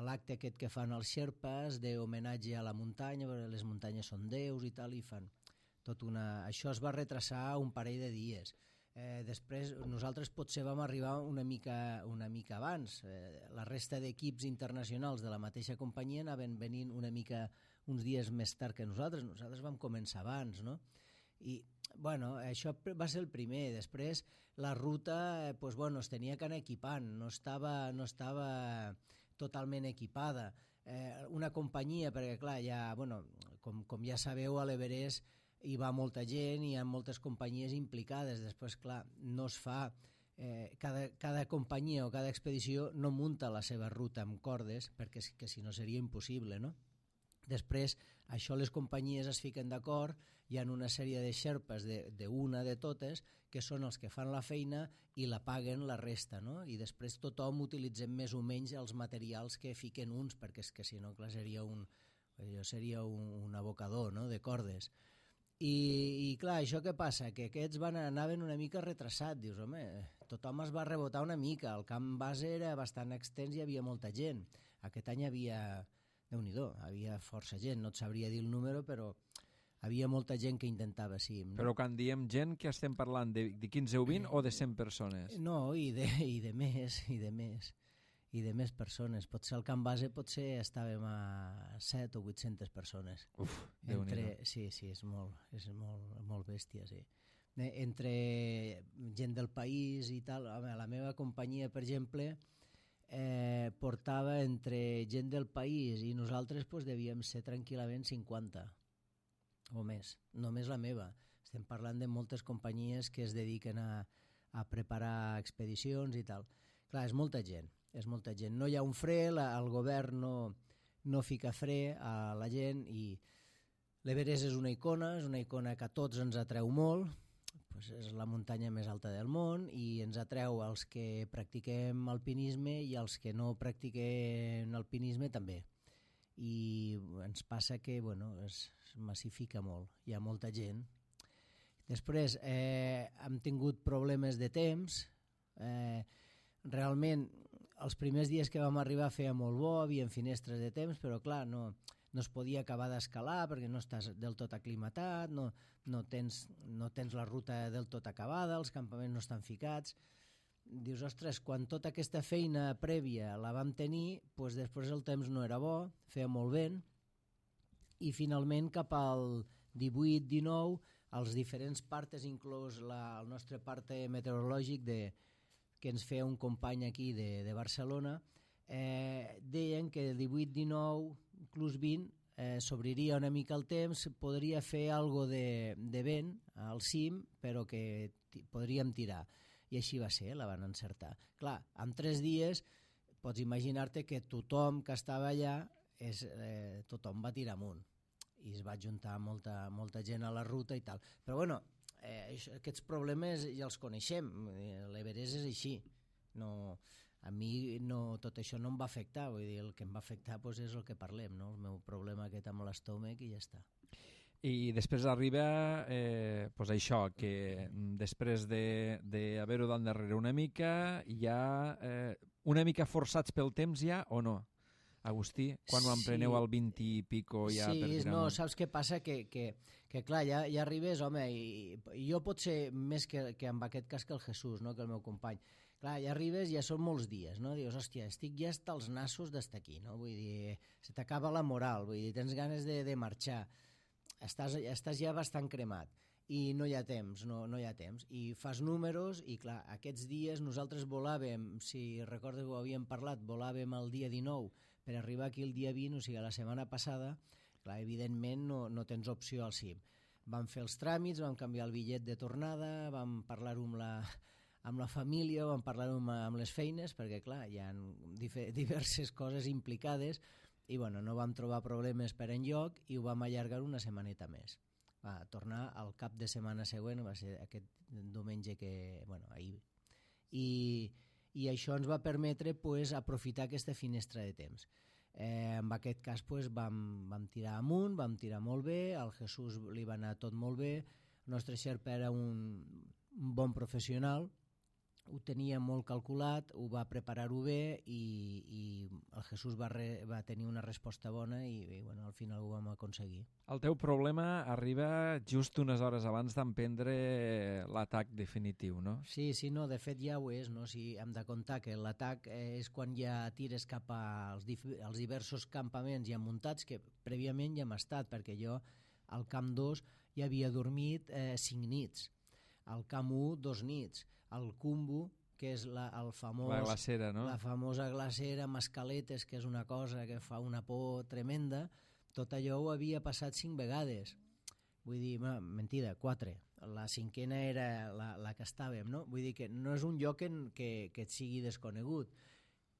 l'acte aquest que fan els xerpes d'homenatge a la muntanya, perquè les muntanyes són déus i tal, i fan tot una... Això es va retrasar un parell de dies. Eh, després nosaltres potser vam arribar una mica, una mica abans. Eh, la resta d'equips internacionals de la mateixa companyia anaven venint una mica uns dies més tard que nosaltres. Nosaltres vam començar abans, no? I, bueno, això va ser el primer. Després la ruta, eh, pues, bueno, es tenia que anar equipant, no estava, no estava totalment equipada. Eh, una companyia, perquè clar, ja, bueno, com, com ja sabeu, a l'Everest hi va molta gent, hi ha moltes companyies implicades. Després, clar, no es fa... Eh, cada, cada companyia o cada expedició no munta la seva ruta amb cordes, perquè que si no seria impossible, no? Després, això les companyies es fiquen d'acord, hi ha una sèrie de xerpes d'una de, de totes que són els que fan la feina i la paguen la resta, no? I després tothom utilitzem més o menys els materials que fiquen uns, perquè és que si no, clar, seria un, seria un, un abocador, no?, de cordes. I, i clar, això què passa? Que aquests van, anaven una mica retrasats. Dius, home, tothom es va rebotar una mica. El camp base era bastant extens i hi havia molta gent. Aquest any hi havia, Déu-n'hi-do, havia força gent. No et sabria dir el número, però havia molta gent que intentava, sí. No? Però quan diem gent, que estem parlant de, de quinze o vint o de cent persones? No, i de, i de més, i de més. I de més persones. Potser al camp base potser estàvem a set o vuit-centes persones. Uf, Entre... Sí, sí, és molt, és molt, molt bèstia, sí. Entre gent del país i tal, home, la meva companyia, per exemple, eh, portava entre gent del país i nosaltres pues, devíem ser tranquil·lament cinquanta o més, només la meva. Estem parlant de moltes companyies que es dediquen a, a preparar expedicions i tal. Clar, és molta gent. És molta gent. No hi ha un fre, la, el govern no, no fica fre a la gent i l'Everest és una icona, és una icona que a tots ens atreu molt, pues és la muntanya més alta del món i ens atreu als que practiquem alpinisme i als que no practiquem alpinisme també. I ens passa que bueno, es, es massifica molt, hi ha molta gent. Després eh, hem tingut problemes de temps, eh, realment els primers dies que vam arribar feia molt bo, havia finestres de temps, però clar, no... no es podia acabar d'escalar perquè no estàs del tot aclimatat, no, no, tens, no tens la ruta del tot acabada, els campaments no estan ficats. Dius, ostres, quan tota aquesta feina prèvia la vam tenir, doncs després el temps no era bo, feia molt vent, i finalment cap al divuit dinou, els diferents partes, inclús la, el nostre parte meteorològic de, que ens feia un company aquí de, de Barcelona, eh, deien que el divuit dinou, inclús vint, eh, s'obriria una mica el temps, podria fer algo de, de vent al cim, però que podríem tirar. I així va ser, la van encertar. Clar, en tres dies pots imaginar-te que tothom que estava allà, és, eh, tothom va tirar amunt. I es va juntar molta, molta gent a la ruta i tal. Però bueno, eh, aquests problemes ja els coneixem. L'Everest és així. No... A mi no, tot això no em va afectar, vull dir, el que em va afectar doncs, és el que parlem, no? El meu problema aquest amb l'estómac i ja està. I després arriba eh, doncs això, que després d'haver-ho d'endarrere una mica, ja eh, una mica forçats pel temps ja o no? Agustí, quan ho empreneu al vint i pico ja sí, per tirar no, amunt? Saps què passa? Que, que, que clar, ja, ja arribes, home, i, i jo pot ser més que, que en aquest cas que el Jesús, no? Que el meu company. Clar, ja arribes, ja són molts dies, no? Dius, hòstia, estic ja hasta els nassos d'estar aquí, no? Vull dir, se t'acaba la moral, vull dir, tens ganes de, de marxar, estàs, estàs ja bastant cremat i no hi ha temps, no, no hi ha temps. I fas números i, clar, aquests dies nosaltres volàvem, si recordes ho havíem parlat, volàvem el dia dinou per arribar aquí el dia vint, o sigui, la setmana passada, clar, evidentment no, no tens opció al cim. Vam fer els tràmits, vam canviar el bitllet de tornada, vam parlar-ho amb la... amb la família, vam parlar amb, amb les feines, perquè clar, hi ha diverses coses implicades i bueno, no vam trobar problemes per enlloc i ho vam allargar una setmaneta més. Va tornar al cap de setmana següent, va ser aquest diumenge que, bueno, ahir. I, i això ens va permetre pues, aprofitar aquesta finestra de temps. Eh, en aquest cas pues, vam, vam tirar amunt, vam tirar molt bé, al Jesús li va anar tot molt bé, el nostre Xerpa era un, un bon professional, ho tenia molt calculat, ho va preparar-ho bé i, i el Jesús va, re, va tenir una resposta bona i, i bueno, al final ho vam aconseguir. El teu problema arriba just unes hores abans d'emprendre l'atac definitiu, no? Sí, sí, no, de fet ja ho és, no? Si hem de comptar que l'atac és quan ja tires cap als, als diversos campaments ja muntats, que prèviament ja hem estat, perquè jo al camp dos ja havia dormit eh, cinc nits, al camp u dos nits, el Kumbu, que és la, el famós, la glacera, no? La famosa glacera amb escaletes, que és una cosa que fa una por tremenda, tot allò ho havia passat cinc vegades. Vull dir, no, mentida, quatre. La cinquena era la, la que estàvem, no? Vull dir que no és un lloc en, que, que et sigui desconegut.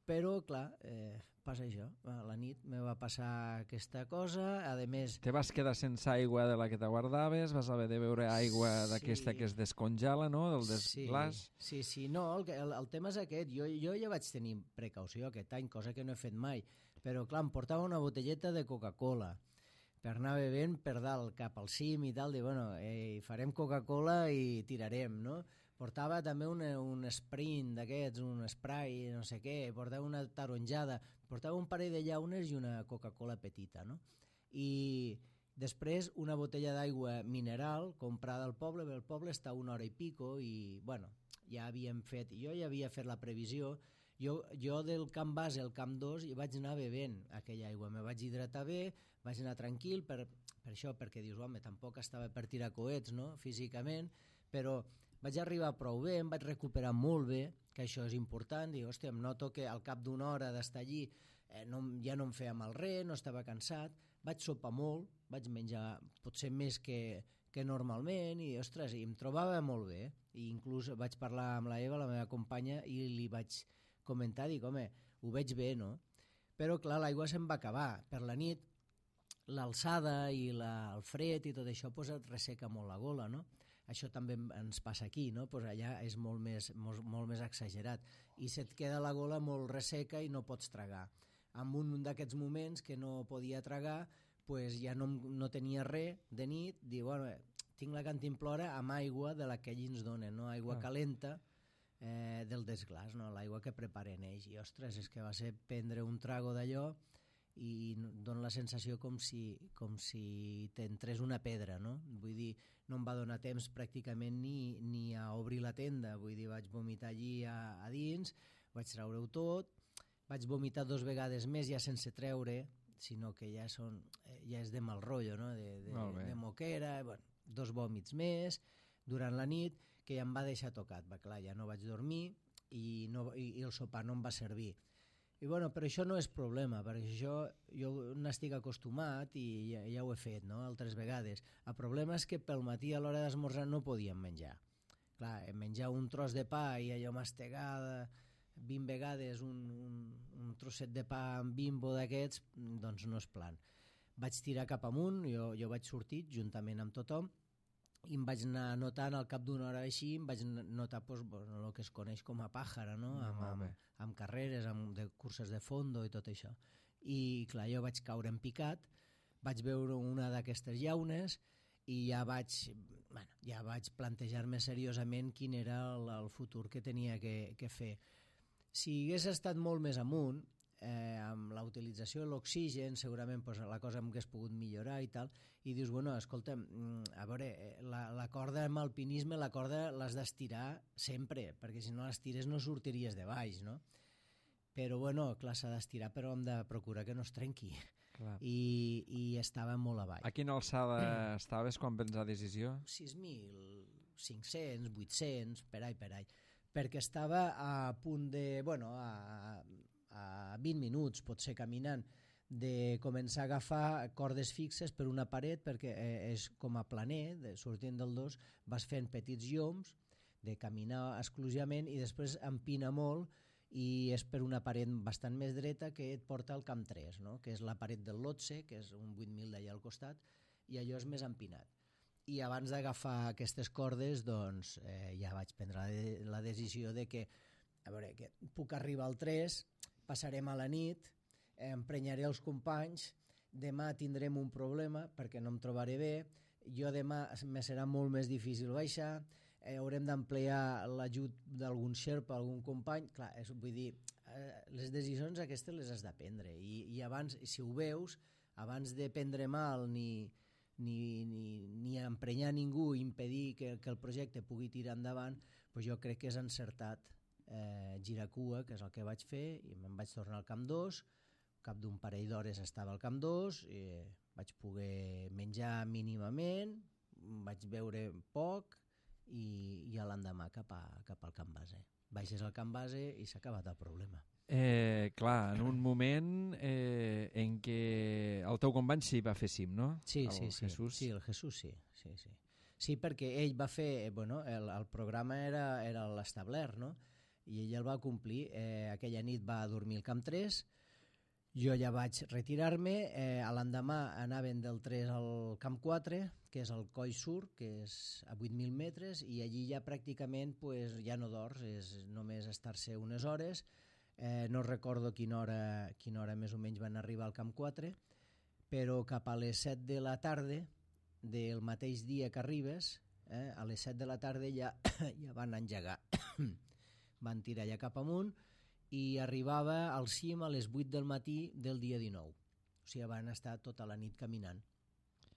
Però, clar, eh, passa això. A la nit me va passar aquesta cosa, a més... Te vas quedar sense aigua de la que te guardaves, vas haver de beure aigua sí. d'aquesta que es descongela, no?, del desglàs. Sí, sí, sí, no, el, el, el tema és aquest. Jo, jo ja vaig tenir precaució aquest any, cosa que no he fet mai, però, clar, em portava una botelleta de Coca-Cola per anar bevent per dalt, cap al cim i tal, de, bueno, eh, farem Coca-Cola i tirarem, no?, portava també un, un sprint d'aquests, un spray, no sé què, portava una taronjada, portava un parell de llaunes i una Coca-Cola petita, no? I després una botella d'aigua mineral comprada al poble, perquè el poble està una hora i pico i, bueno, ja havíem fet, jo ja havia fet la previsió, jo, jo del camp base al camp dos hi vaig anar bevent aquella aigua, me vaig hidratar bé, vaig anar tranquil, per, per això, perquè dius, home, tampoc estava per tirar coets, no?, físicament, però vaig arribar prou bé, em vaig recuperar molt bé, que això és important, dic, hòstia, em noto que al cap d'una hora d'estar allí eh, no, ja no em feia mal res, no estava cansat, vaig sopar molt, vaig menjar potser més que, que normalment, i ostres, i em trobava molt bé, i inclús vaig parlar amb la Eva, la meva companya, i li vaig comentar, dic, home, ho veig bé, no? Però clar, l'aigua se'm va acabar, per la nit l'alçada i la, el fred i tot això pues, et resseca molt la gola, no? això també ens passa aquí, no? Pues allà és molt més, molt, molt més exagerat i se't queda la gola molt resseca i no pots tragar. En un d'aquests moments que no podia tragar, pues ja no, no tenia res de nit, diu, bueno, tinc la cantimplora amb aigua de la que ells ens donen, no? Aigua ah. calenta eh, del desglàs, no? L'aigua que preparen ells. I ostres, és que va ser prendre un trago d'allò i dona la sensació com si, com si t'entrés una pedra, no? Vull dir, no em va donar temps pràcticament ni, ni a obrir la tenda, vull dir, vaig vomitar allí a, a dins, vaig treure-ho tot, vaig vomitar dos vegades més ja sense treure, sinó que ja, són, ja és de mal rotllo, no? de, de, de moquera, bueno, dos vòmits més durant la nit, que ja em va deixar tocat, va, clar, ja no vaig dormir i, no, i, i el sopar no em va servir. I bueno, però això no és problema, perquè això jo n'estic acostumat i ja, ja ho he fet, no?, altres vegades. El problema és que pel matí a l'hora d'esmorzar no podíem menjar. Clar, menjar un tros de pa i allò mastegada vint vegades un, un, un trosset de pa amb Bimbo d'aquests, doncs no és plan. Vaig tirar cap amunt, jo, jo vaig sortir juntament amb tothom, i em vaig anar notant al cap d'una hora així, em vaig notar pues, bueno, el que es coneix com a pàjara, no? amb, amb, amb carreres, amb de curses de fondo i tot això. I clar, jo vaig caure en picat, vaig veure una d'aquestes llaunes i ja vaig, bueno, ja vaig plantejar-me seriosament quin era el, el futur que tenia que, que fer. Si hagués estat molt més amunt, eh, amb la utilització de l'oxigen, segurament pues, la cosa m'hagués pogut millorar i tal, i dius, bueno, escolta, a veure, la, la corda amb alpinisme, la corda l'has d'estirar sempre, perquè si no l'estires no sortiries de baix, no? Però, bueno, clar, s'ha d'estirar, però hem de procurar que no es trenqui. Clar. I, i estava molt a baix. A quina alçada mm. estaves quan prens la decisió? sis mil cinc-cents, vuit-cents, per all, per all. Perquè estava a punt de, bueno, a, a vint minuts, potser caminant, de començar a agafar cordes fixes per una paret, perquè eh, és com a planer, de, sortint del dos, vas fent petits lloms, de caminar exclusivament, i després empina molt, i és per una paret bastant més dreta que et porta al camp tres, no? Que és la paret del Lotse, que és un vuit mil d'allà al costat, i allò és més empinat. I abans d'agafar aquestes cordes, doncs, eh, ja vaig prendre la, de, la decisió de que, a veure, que puc arribar al tres, passarem a la nit, emprenyaré els companys, demà tindrem un problema perquè no em trobaré bé, jo demà me serà molt més difícil baixar, eh, haurem d'emplear l'ajut d'algun xerpa, algun company, clar, és, vull dir, eh, les decisions aquestes les has de prendre, i, i abans, si ho veus, abans de prendre mal ni, ni, ni, ni emprenyar ningú, impedir que, que el projecte pugui tirar endavant, doncs jo crec que és encertat eh, girar cua, que és el que vaig fer, i me'n vaig tornar al camp dos, cap d'un parell d'hores estava al camp dos, i vaig poder menjar mínimament, vaig veure poc i, i a l'endemà cap, a, cap al camp base. Baixes al camp base i s'ha acabat el problema. Eh, clar, en un moment eh, en què el teu company sí va fer cim, no? Sí, el sí, sí. Jesús. Sí, el Jesús sí. Sí, sí. Sí, perquè ell va fer, bueno, el, el programa era, era l'establert, no? I ell el va complir. Eh, aquella nit va dormir al camp tres, jo ja vaig retirar-me, eh, a l'endemà anaven del tres al camp quatre, que és el Coll Sur, que és a vuit mil metres, i allí ja pràcticament pues, ja no dors, és només estar-se unes hores. Eh, no recordo quina hora, quina hora més o menys van arribar al camp quatre, però cap a les set de la tarda del mateix dia que arribes, eh, a les set de la tarda ja, ja van engegar. Van tirar ja cap amunt, i arribava al cim a les vuit del matí del dia dinou. O sigui, van estar tota la nit caminant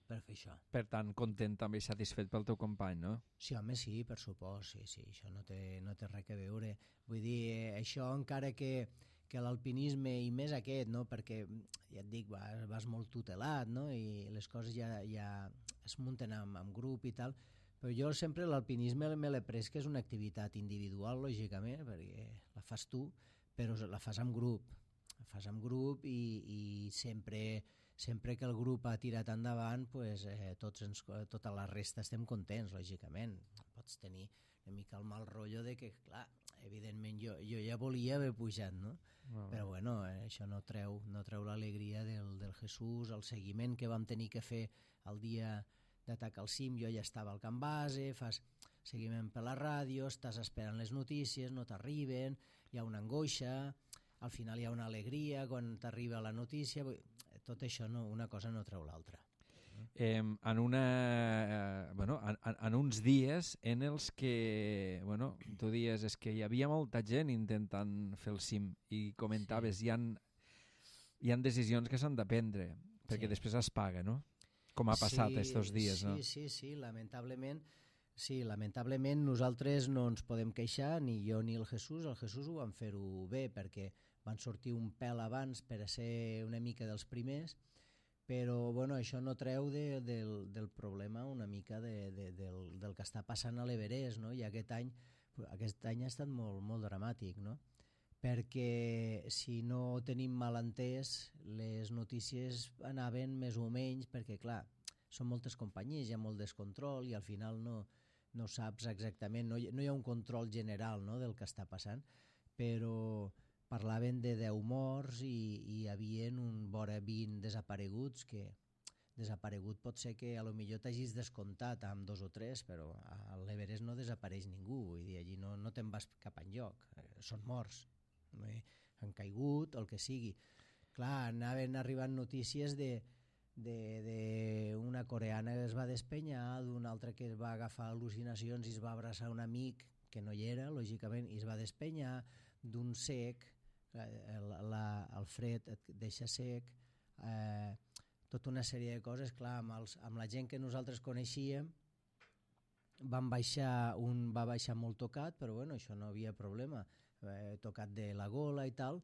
per fer això. Per tant, content també i satisfet pel teu company, no? Sí, home, sí, per supost, sí, sí, això no té, no té res a veure. Vull dir, això encara que, que l'alpinisme, i més aquest, no? Perquè, ja et dic, vas, vas molt tutelat, no? I les coses ja, ja es munten amb, amb grup i tal, però jo sempre l'alpinisme me l'he pres que és una activitat individual, lògicament, perquè la fas tu, però la fas amb grup, la fas amb grup i, i sempre, sempre que el grup ha tirat endavant, pues, eh, tots ens, tota la resta estem contents, lògicament. Pots tenir una mica el mal rotllo de que, clar, evidentment jo, jo ja volia haver pujat, no? Oh. Però bueno, eh, això no treu, no treu l'alegria del, del Jesús, el seguiment que vam tenir que fer el dia d'atacar el cim, jo ja estava al camp base, fas seguiment per la ràdio, estàs esperant les notícies, no t'arriben, hi ha una angoixa, al final hi ha una alegria quan t'arriba la notícia, tot això no, una cosa no treu l'altra. Eh, en, una, eh, bueno, en, en uns dies en els que, bueno, tu dies és que hi havia molta gent intentant fer el cim i comentaves, sí. hi, han, hi han decisions que s'han de prendre perquè sí. després es paga, no? Com ha passat sí, estos dies, sí, no? Sí, sí, sí, lamentablement, sí, lamentablement nosaltres no ens podem queixar, ni jo ni el Jesús, el Jesús ho van fer-ho bé perquè van sortir un pèl abans per a ser una mica dels primers, però bueno, això no treu de, del, del problema una mica de, de, del, del que està passant a l'Everest, no? I aquest any, aquest any ha estat molt, molt dramàtic, no? Perquè si no tenim mal entès, les notícies anaven més o menys, perquè clar, són moltes companyies, hi ha molt descontrol i al final no, no saps exactament, no hi, no hi ha un control general, no?, del que està passant, però parlaven de deu morts i, i hi havia un vora vint desapareguts, que desaparegut pot ser que a lo millor t'hagis descomptat amb dos o tres, però a l'Everest no desapareix ningú, vull dir, allí no, no te'n vas cap enlloc, són morts, eh? Han caigut, el que sigui. Clar, anaven arribant notícies de d'una coreana que es va despenyar, d'una altra que es va agafar al·lucinacions i es va abraçar un amic que no hi era, lògicament, i es va despenyar, d'un sec, el, la, el fred et deixa sec, eh, tota una sèrie de coses, clar, amb, els, amb la gent que nosaltres coneixíem van baixar, un va baixar molt tocat, però bueno, això no havia problema, eh, tocat de la gola i tal,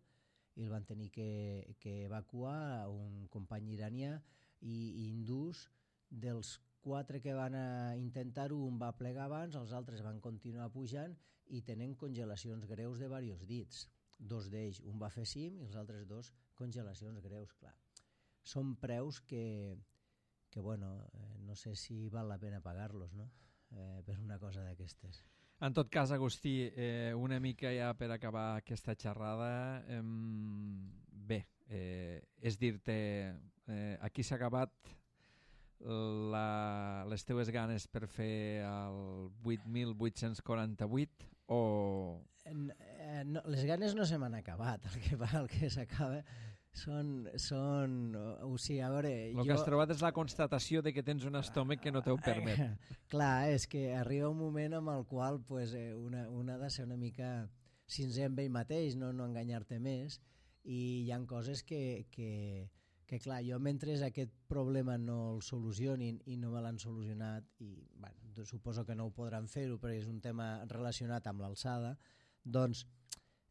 i el van tenir que, que evacuar, un company iranià i, i hindús. Dels quatre que van intentar-ho, un va plegar abans, els altres van continuar pujant i tenen congelacions greus de diversos dits. Dos d'ells, un va fer cim i els altres dos congelacions greus, clar. Són preus que, que bueno, eh, no sé si val la pena pagar-los, no?, eh, per una cosa d'aquestes. En tot cas, Agustí, eh, una mica ja per acabar aquesta xerrada, eh, bé, eh, és dir-te, eh, aquí s'ha acabat la, les teues ganes per fer el vuit mil vuit-cents quaranta-vuit o... Eh, no, les ganes no se m'han acabat, el que, el que s'acaba són, són o sigui, a veure, el jo... que has trobat és la constatació de que tens un estómac que no te ho permet. Eh, clar, és que arriba un moment amb el qual pues, eh, una, una ha de ser una mica sincer amb ell mateix, no, no enganyar-te més, i hi ha coses que, que, que clar, jo mentre aquest problema no el solucionin i no me l'han solucionat, i bueno, suposo que no ho podran fer-ho perquè és un tema relacionat amb l'alçada, doncs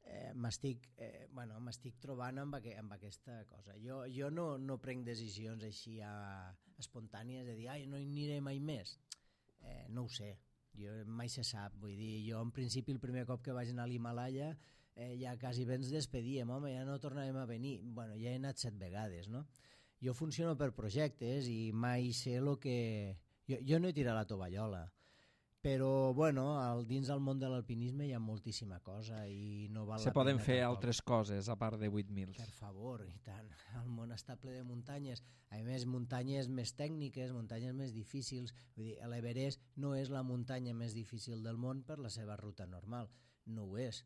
eh, m'estic eh, bueno, m'estic trobant amb, aqu amb aquesta cosa. Jo, jo no, no prenc decisions així a, espontànies de dir, ai, no hi aniré mai més. Eh, no ho sé, jo mai se sap, vull dir, jo en principi el primer cop que vaig anar a l'Himalaya eh, ja quasi bé ens despedíem, home, ja no tornarem a venir. Bueno, ja he anat set vegades, no? Jo funciono per projectes i mai sé el que... Jo, jo no he tirat la tovallola, però bueno, al, dins del món de l'alpinisme hi ha moltíssima cosa i no val Se la poden pena fer tampoc. Altres coses a part de vuit mil. Per favor, i tant. El món està ple de muntanyes. A més, muntanyes més tècniques, muntanyes més difícils. Vull dir, l'Everest no és la muntanya més difícil del món per la seva ruta normal. No ho és.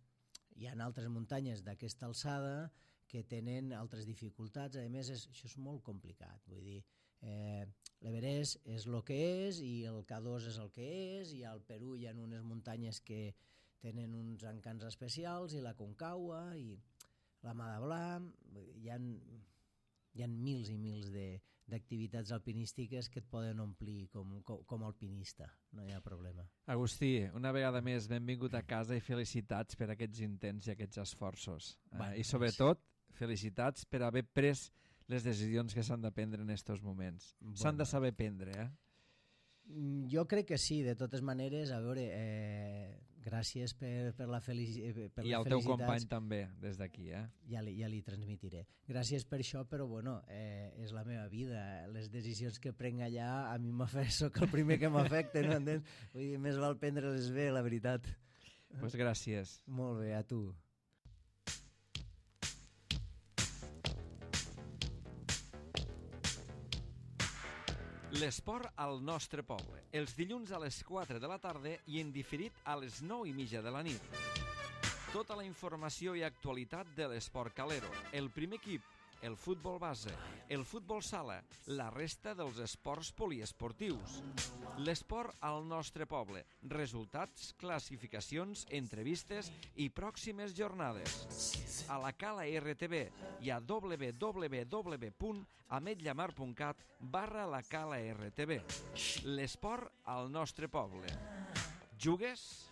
Hi ha altres muntanyes d'aquesta alçada que tenen altres dificultats. A més, és, això és molt complicat. Vull dir, eh, l'Everest és el que és i el K dos és el que és, i al Perú hi ha unes muntanyes que tenen uns encants especials, i la Concagua i la Mada Blanc, hi ha, hi ha mils i mils d'activitats alpinístiques que et poden omplir com, com, com alpinista, no hi ha problema. Agustí, una vegada més, benvingut a casa i felicitats per aquests intents i aquests esforços. Bueno, eh, I sobretot, felicitats per haver pres les decisions que s'han de prendre en aquests moments. Bueno. S'han de saber prendre, eh? Jo crec que sí, de totes maneres, a veure, eh, gràcies per, per la felicitat. I al teu company també, des d'aquí, eh? Ja li, ja li transmitiré. Gràcies per això, però bueno, eh, és la meva vida. Les decisions que prenc allà, a mi m'afecten, soc el primer que m'afecta, no entens? Vull dir, més val prendre-les bé, la veritat. Doncs pues gràcies. Molt bé, a tu. L'esport al nostre poble, els dilluns a les quatre de la tarda i en diferit a les nou i mitja de la nit. Tota la informació i actualitat de l'esport calero, el primer equip, el futbol base, el futbol sala, la resta dels esports poliesportius. L'esport al nostre poble, resultats, classificacions, entrevistes i pròximes jornades. A la Cala R T V i a w w w punt ametllamar punt cat barra la Cala R T V. L'esport al nostre poble. Jugues?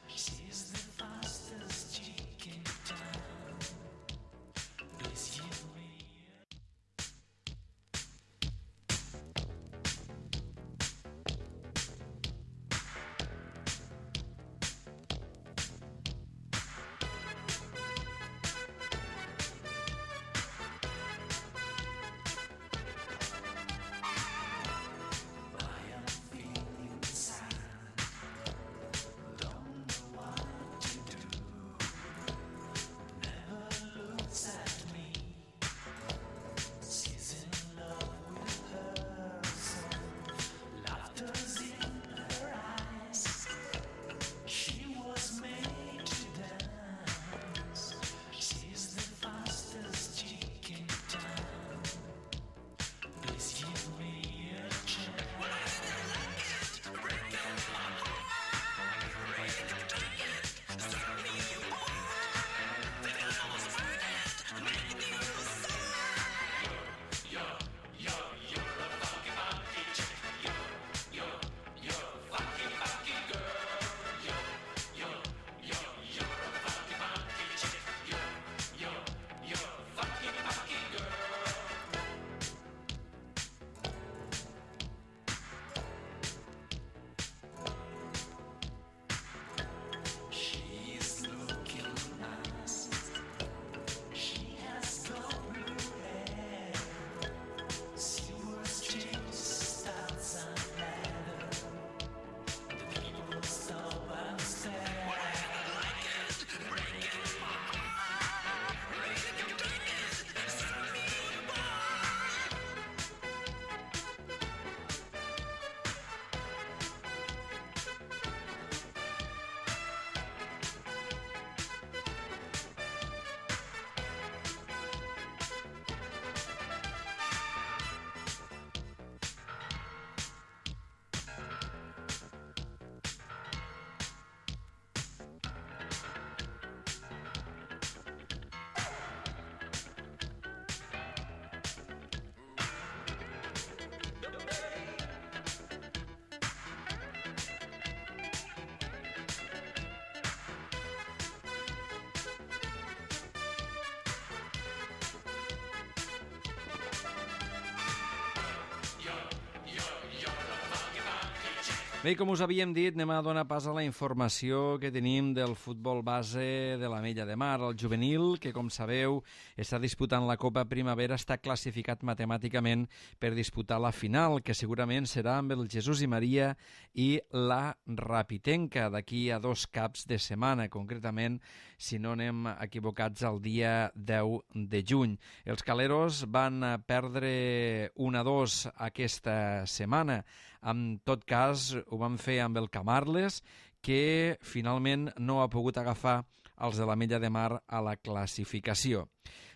Bé, com us havíem dit, anem a donar pas a la informació que tenim del futbol base de l'Ametlla de Mar. El juvenil, que com sabeu està disputant la Copa Primavera, està classificat matemàticament per disputar la final, que segurament serà amb el Jesús i Maria i la Rapitenca d'aquí a dos caps de setmana, concretament, si no anem equivocats, el dia deu de juny. Els caleros van perdre un a dos aquesta setmana. En tot cas, ho van fer amb el Camarles, que finalment no ha pogut agafar els de l'Ametlla de Mar a la classificació.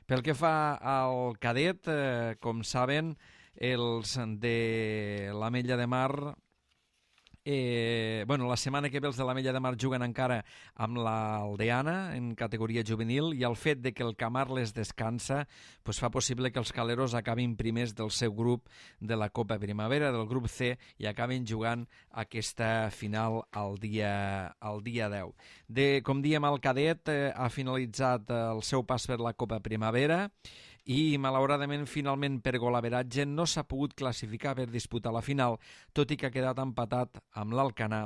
Pel que fa al cadet, eh, com saben, els de l'Ametlla de Mar... Eh, bueno, la setmana que ve els de l'Ametlla de Mar juguen encara amb l'Aldeana en categoria juvenil, i el fet de que el Camarles descansa pues fa possible que els caleros acabin primers del seu grup de la Copa Primavera, del grup C, i acabin jugant aquesta final al dia, al dia deu. De, com diem, el cadet eh, ha finalitzat el seu pas per la Copa Primavera i, malauradament, finalment per golaveratge no s'ha pogut classificar per disputar la final, tot i que ha quedat empatat amb l'Alcanar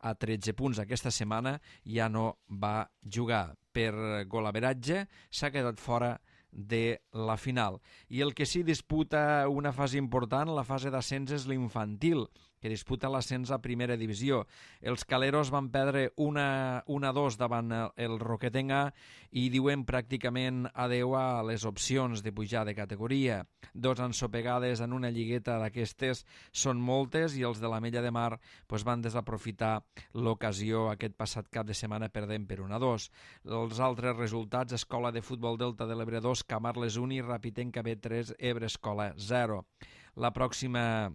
a tretze punts. Aquesta setmana ja no va jugar. Per golaveratge s'ha quedat fora de la final. I el que sí disputa una fase important, la fase d'ascens, és l'infantil, que que disputa l'ascens a primera divisió. Els caleros van perdre una a dos davant el Roquetenga i diuen pràcticament adeu a les opcions de pujar de categoria. Dos ensopegades en una lligueta d'aquestes són moltes i els de l'Ametlla de Mar pues, van desaprofitar l'ocasió aquest passat cap de setmana perdent per un a dos. Els altres resultats: Escola de Futbol Delta de l'Ebre dos, Camarles un i Rapitenca B tres, Ebre Escola zero. La pròxima...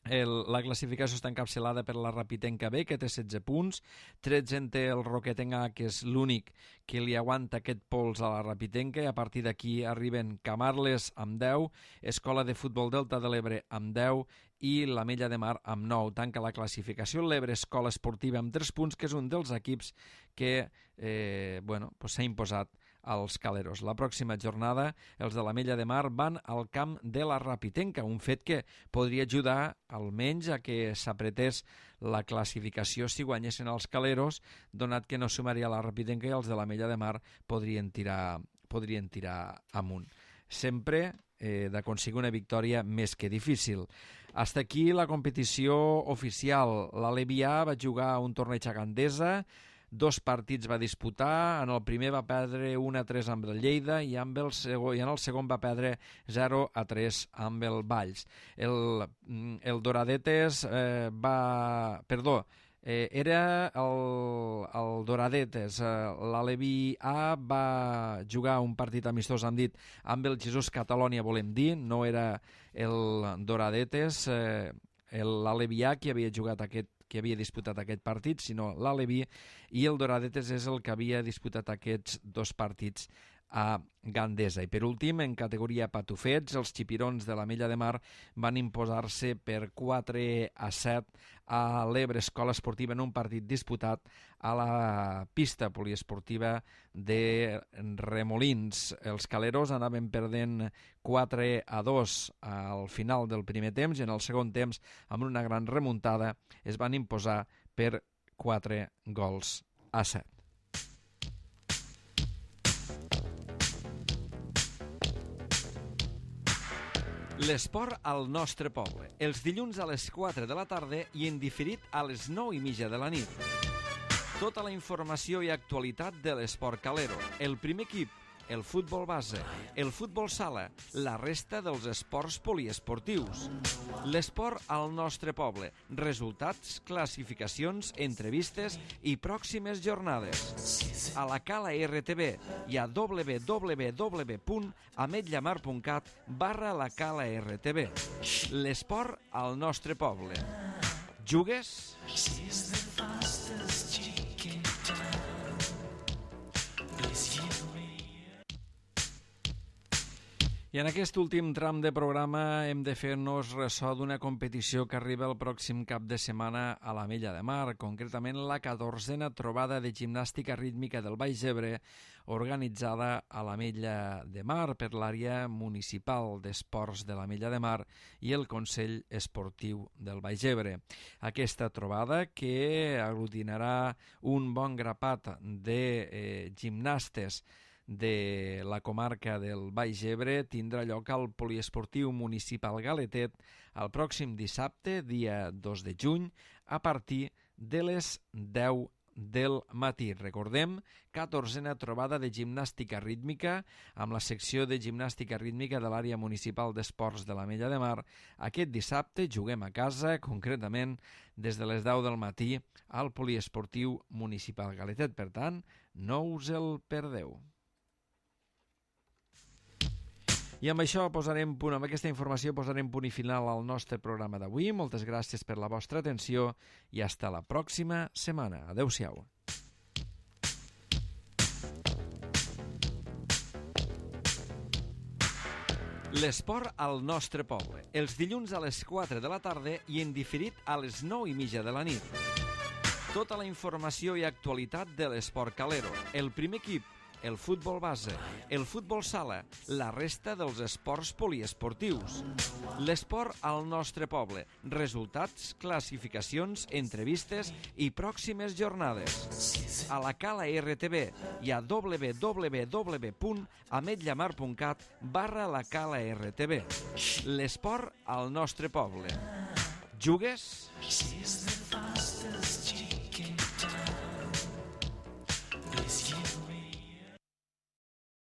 El, la classificació està encapçalada per la Rapitenca B, que té setze punts, tretze en té el Roquetenga, que és l'únic que li aguanta aquest pols a la Rapitenca, i a partir d'aquí arriben Camarles amb deu, Escola de Futbol Delta de l'Ebre amb deu i l'Ametlla de Mar amb nou. Tanca la classificació l'Ebre Escola Esportiva amb tres punts, que és un dels equips que eh, bueno, pues s'ha imposat als caleros. La pròxima jornada els de l'Ametlla de Mar van al camp de la Rapitenca, un fet que podria ajudar almenys a que s'apretés la classificació si guanyessin els caleros, donat que no sumaria la Rapitenca i els de l'Ametlla de Mar podrien tirar, podrien tirar amunt. Sempre eh, d'aconseguir una victòria més que difícil. Hasta aquí la competició oficial. L'Alevià va jugar un torneig a Gandesa, dos partits va disputar, en el primer va perdre un a tres amb el Lleida i, amb el segon, i en el segon va perdre zero a tres amb el Valls. El, el Doradetes eh, va... Perdó, eh, era el, el Doradetes. Eh, L'Alevi A va jugar un partit amistós, hem dit, amb el Jesús Catalònia, volem dir, no era el Doradetes, eh, l'Alevi A qui havia jugat aquest que havia disputat aquest partit, sinó l'Alevi, i el Doradetes és el que havia disputat aquests dos partits a Gandesa. I per últim, en categoria patufets, els xipirons de l'Ametlla de Mar van imposar-se per quatre a set a l'Ebre Escola Esportiva en un partit disputat a la pista poliesportiva de Remolins. Els caleros anaven perdent quatre a dos al final del primer temps i en el segon temps, amb una gran remuntada, es van imposar per quatre gols a set. L'esport al nostre poble, els dilluns a les quatre de la tarda i en diferit a les nou i mitja de la nit. Tota la informació i actualitat de l'esport calero, el primer equip, el futbol base, el futbol sala, la resta dels esports poliesportius. L'esport al nostre poble, resultats, classificacions, entrevistes i pròximes jornades. A la Cala R T V i a w w w punt ametllamar punt cat barra la Cala R T V. L'esport al nostre poble. Jugues? I en aquest últim tram de programa hem de fer-nos ressò d'una competició que arriba el pròxim cap de setmana a l'Ametlla de Mar, concretament la catorzena trobada de gimnàstica rítmica del Baix Ebre, organitzada a l'Ametlla de Mar per l'àrea municipal d'esports de l'Ametlla de Mar i el Consell Esportiu del Baix Ebre. Aquesta trobada, que aglutinarà un bon grapat de eh, gimnastes de la comarca del Baix Ebre, tindrà lloc al Poliesportiu Municipal Galetet el pròxim dissabte, dia dos de juny, a partir de les deu del matí. Recordem, catorzena trobada de gimnàstica rítmica amb la secció de gimnàstica rítmica de l'àrea municipal d'esports de l'Ametlla de Mar. Aquest dissabte juguem a casa, concretament des de les deu del matí al Poliesportiu Municipal Galetet. Per tant, no us el perdeu. I amb això posarem punt, amb aquesta informació posarem punt i final al nostre programa d'avui. Moltes gràcies per la vostra atenció i fins la pròxima setmana. Adéu-siau. L'esport al nostre poble, els dilluns a les quatre de la tarda i en diferit a les nou i mitja de la nit. Tota la informació i actualitat de l'esport calero, el primer equip, el futbol base, el futbol sala, la resta dels esports poliesportius. L'esport al nostre poble, resultats, classificacions, entrevistes i pròximes jornades. A la Cala R T V i a w w w punt ametllamar punt cat barra la Cala R T V. L'esport al nostre poble. jugues?